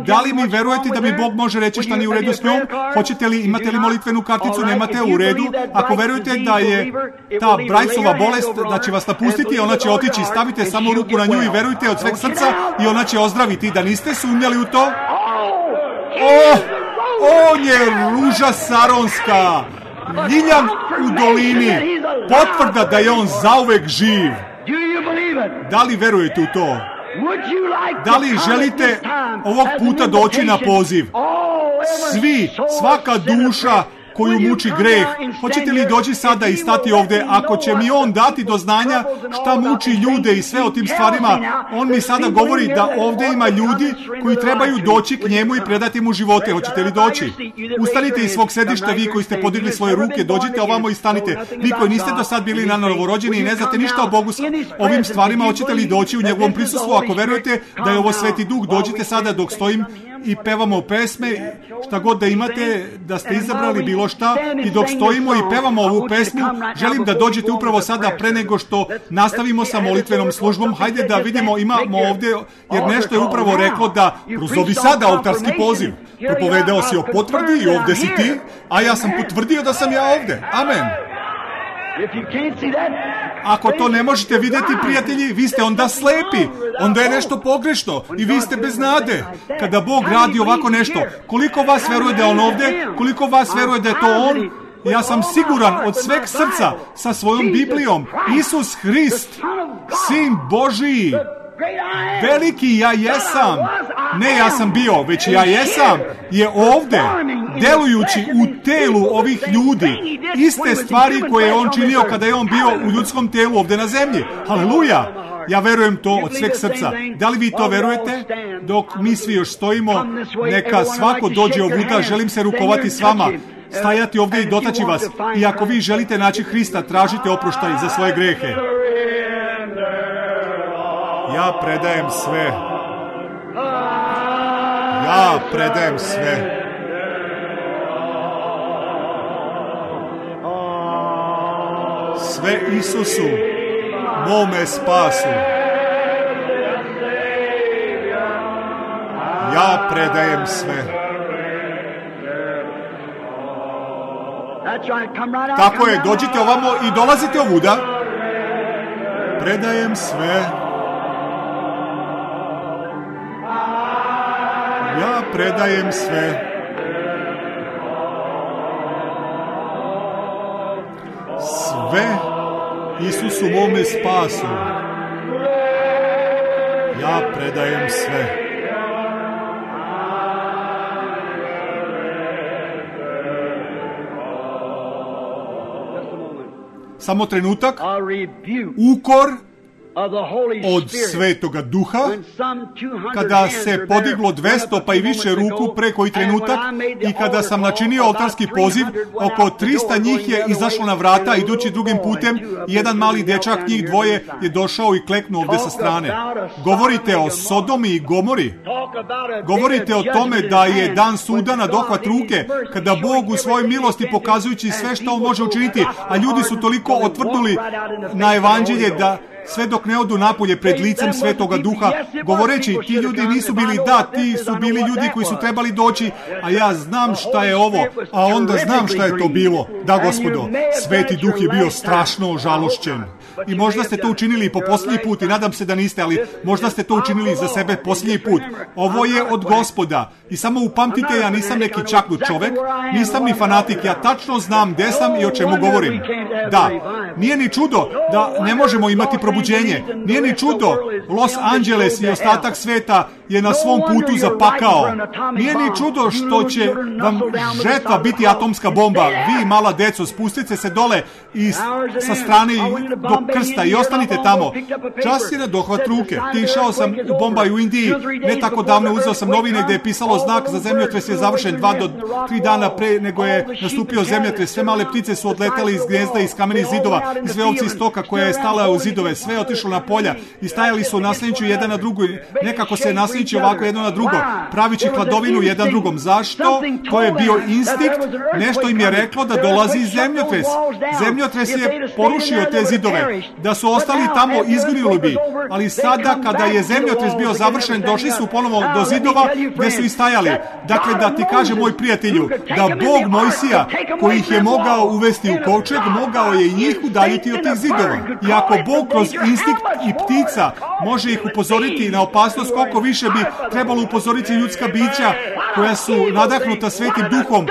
Da li mi verujete da mi Bog može reći šta nije u redu s njom? Hoćete li, imate li molitvenu karticu? Nemate? U redu. Ako verujete da je ta Brightsova bolest, da će vas napustiti, ona će otići, stavite samo ruku na nju i verujte od sveg srca i ona će ozdraviti. Da niste sumnjali u to? O, on je ruža saronska, ljiljan u dolini, potvrda da je on zauvek živ. Da li verujete u to? Da li želite ovog puta doći na poziv? Svi, svaka duša koju muči greh, hoćete li doći sada i stati ovde? Ako će mi on dati do znanja šta muči ljude i sve o tim stvarima, on mi sada govori da ovde ima ljudi koji trebaju doći k njemu i predati mu živote. Hoćete li doći? Ustanite iz svog sedišta, vi koji ste podigli svoje ruke, dođite ovamo i stanite. Vi koji niste do sad bili na novorođeni i ne znate ništa o Bogu, ovim stvarima, hoćete li doći u njegovom prisustvu? Ako verujete da je ovo Sveti Duh, dođite sada dok stojim i pevamo pesme, šta god da imate, da ste izabrali bilo šta, i dok stojimo i pevamo ovu pesmu, želim da dođete upravo sada pre nego što nastavimo sa molitvenom službom. Hajde da vidimo, imamo ovde, jer nešto je upravo reklo da prozovi sada oltarski poziv. Propovedao si o potvrdi i ovde si ti, a ja sam potvrdio da sam ja ovde. Amen. Ako to ne možete vidjeti, prijatelji, vi ste onda slepi, onda je nešto pogrešno i vi ste bez nade. Kada Bog radi ovako nešto, koliko vas veruje da je on ovde, koliko vas veruje da je to on? Ja sam siguran od sveg srca sa svojom Biblijom, Isus Hrist, Sin Božiji, veliki ja jesam, ne ja sam bio, već ja jesam, je ovde, delujući u telu ovih ljudi, iste stvari koje je on činio kada je on bio u ljudskom telu ovde na zemlji. Haleluja! Ja verujem to od sveg srca. Da li vi to verujete? Dok mi svi još stojimo, neka svako dođe ovuda, želim se rukovati s vama, stajati ovde i dotaći vas. I ako vi želite naći Hrista, tražite oproštaj za svoje grehe. Ja predajem sve. Ja predajem sve. Sve Isusu, mome spasu. Ja predajem sve. Tako je, dođite ovamo i dolazite ovuda. predajem sve. Ja predajem sve. Sve Isusu mome spasu. Ja predajem sve. Samo trenutak. Ukor od Svetoga Duha, kada se podiglo dvesta pa i više ruku pre koji trenutak i kada sam načinio oltarski poziv, oko trista njih je izašlo na vrata idući drugim putem i jedan mali dečak, njih dvoje, je došao i kleknuo ovde sa strane. Govorite o Sodomi i Gomori. Govorite o tome da je dan suda na dohvat ruke, kada Bog u svojoj milosti pokazujući sve što on može učiniti, a ljudi su toliko otvrdnuli na evanđelje da sve dok ne odu napolje pred licem Svetoga Duha, govoreći, ti ljudi nisu bili da, ti su bili ljudi koji su trebali doći, a ja znam šta je ovo, a onda znam šta je to bilo. Da, Gospodo, Sveti Duh je bio strašno žalošćen. I možda ste to učinili po posljednji put i nadam se da niste, ali možda ste to učinili za sebe posljednji put. Ovo je od Gospoda. I samo upamtite, ja nisam neki čaknut čovek, nisam ni fanatik, ja tačno znam gde sam i o čemu govorim. Da, nije ni čudo da ne možemo imati probuđenje. Nije ni čudo, Los Angeles i ostatak sveta je na svom putu zapakao. Nije ni čudo što će vam žetva biti atomska bomba. Vi, mala deco, spustite se dole i sa strane do krsta i ostanite tamo. Čas je na dohvat ruke. Išao sam u Bombaj u Indiji, ne tako davno uzeo sam novine gde je pisalo znak za zemljotres je završen dva do tri dana pre nego je nastupio zemljotres. Sve male ptice su odletale iz gnezda, iz kamenih zidova, i sve ovce iz stoka koja je stala u zidove, sve je otišlo na polja i stajali su naslanjujući jedan na drugu. Nekako se naslanjujući ovako jedno na drugo, pravići hladovinu jedan drugom. Zašto? To je bio instinkt, nešto im je reklo da dolazi zemljotres. Zemljotres je porušio te zidove. Da su ostali tamo, izginuli bi. Ali sada, kada je zemljotres bio završen, došli su ponovo do zidova gde su i stajali. Dakle, da ti kaže, moj prijatelju, da Bog Mojsija, koji ih je mogao uvesti u kovčeg, mogao je i njih udaljiti od tih zidova. I ako Bog kroz instinkt i ptica može ih upozoriti na opasnost, koliko više bi trebalo upozoriti ljudska bića koja su nadahnuta Svetim Duhom,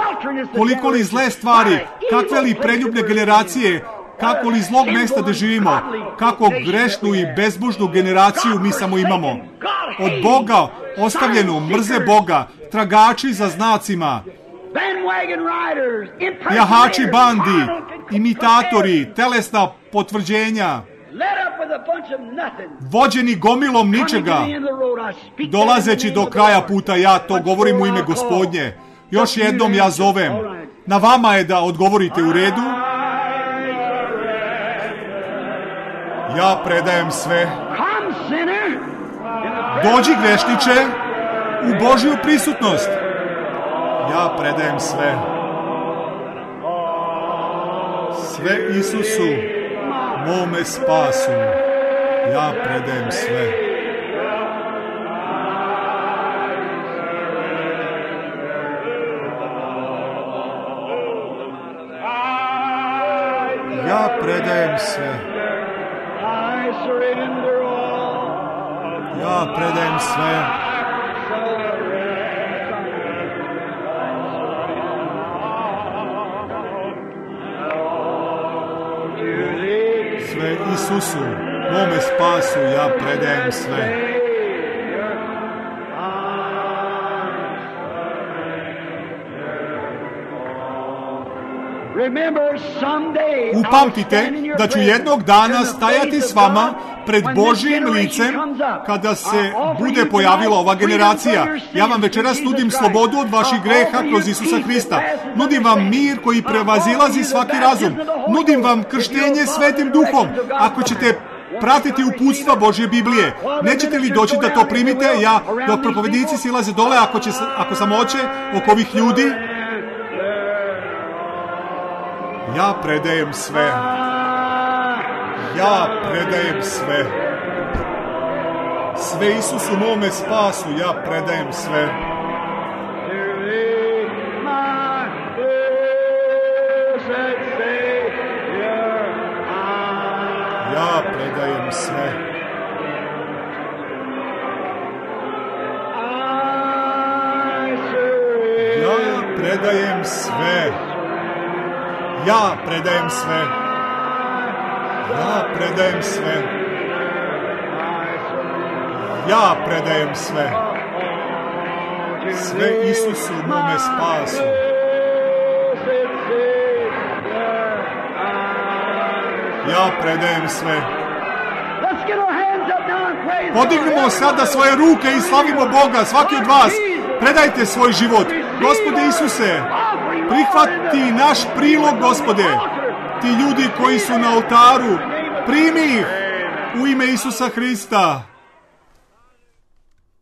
koliko li zle stvari, kakve li preljubne generacije, kako li zlog mesta da živimo, kako grešnu i bezbožnu generaciju mi samo imamo. Od Boga ostavljenu, mrze Boga, tragači za znacima, jahači bandi, imitatori, telesna potvrđenja, vođeni gomilom ničega, dolazeći do kraja puta, ja to govorim u ime Gospodnje. Još jednom ja zovem. Na vama je da odgovorite u redu. Ja predajem sve. Dođi, grešniče, u Božju prisutnost. Ja predajem sve. Sve Isusu, mome spasu. Ja predajem sve. Ja predajem sve. Ja predajem sve. Sve Isusu, mome spasu, ja predajem sve. Upamtite da ću jednog dana stajati s vama pred Božjim licem kada se bude pojavila ova generacija. Ja vam večeras nudim slobodu od vaših greha kroz Isusa Hrista. Nudim vam mir koji prevazilazi svaki razum. Nudim vam krštenje Svetim Duhom. Ako ćete pratiti uputstva Božje Biblije, nećete li doći da to primite? Ja, dok propovjednici silaze dole, ako, će, ako sam oće oko ovih ljudi, ja predajem sve. Ja predajem sve. Sve Isusu mome spasu, ja predajem sve. Ja predajem sve. Ja predajem sve. Ja predajem sve. Ja predajem sve. Sve Isusu mome spasu. Ja predajem sve. Podignimo sada svoje ruke i slavimo Boga. Svaki od vas predajte svoj život. Gospode Isuse, prihvati naš prilog, Gospode. Ti ljudi koji su na oltaru, primi ih u ime Isusa Hrista.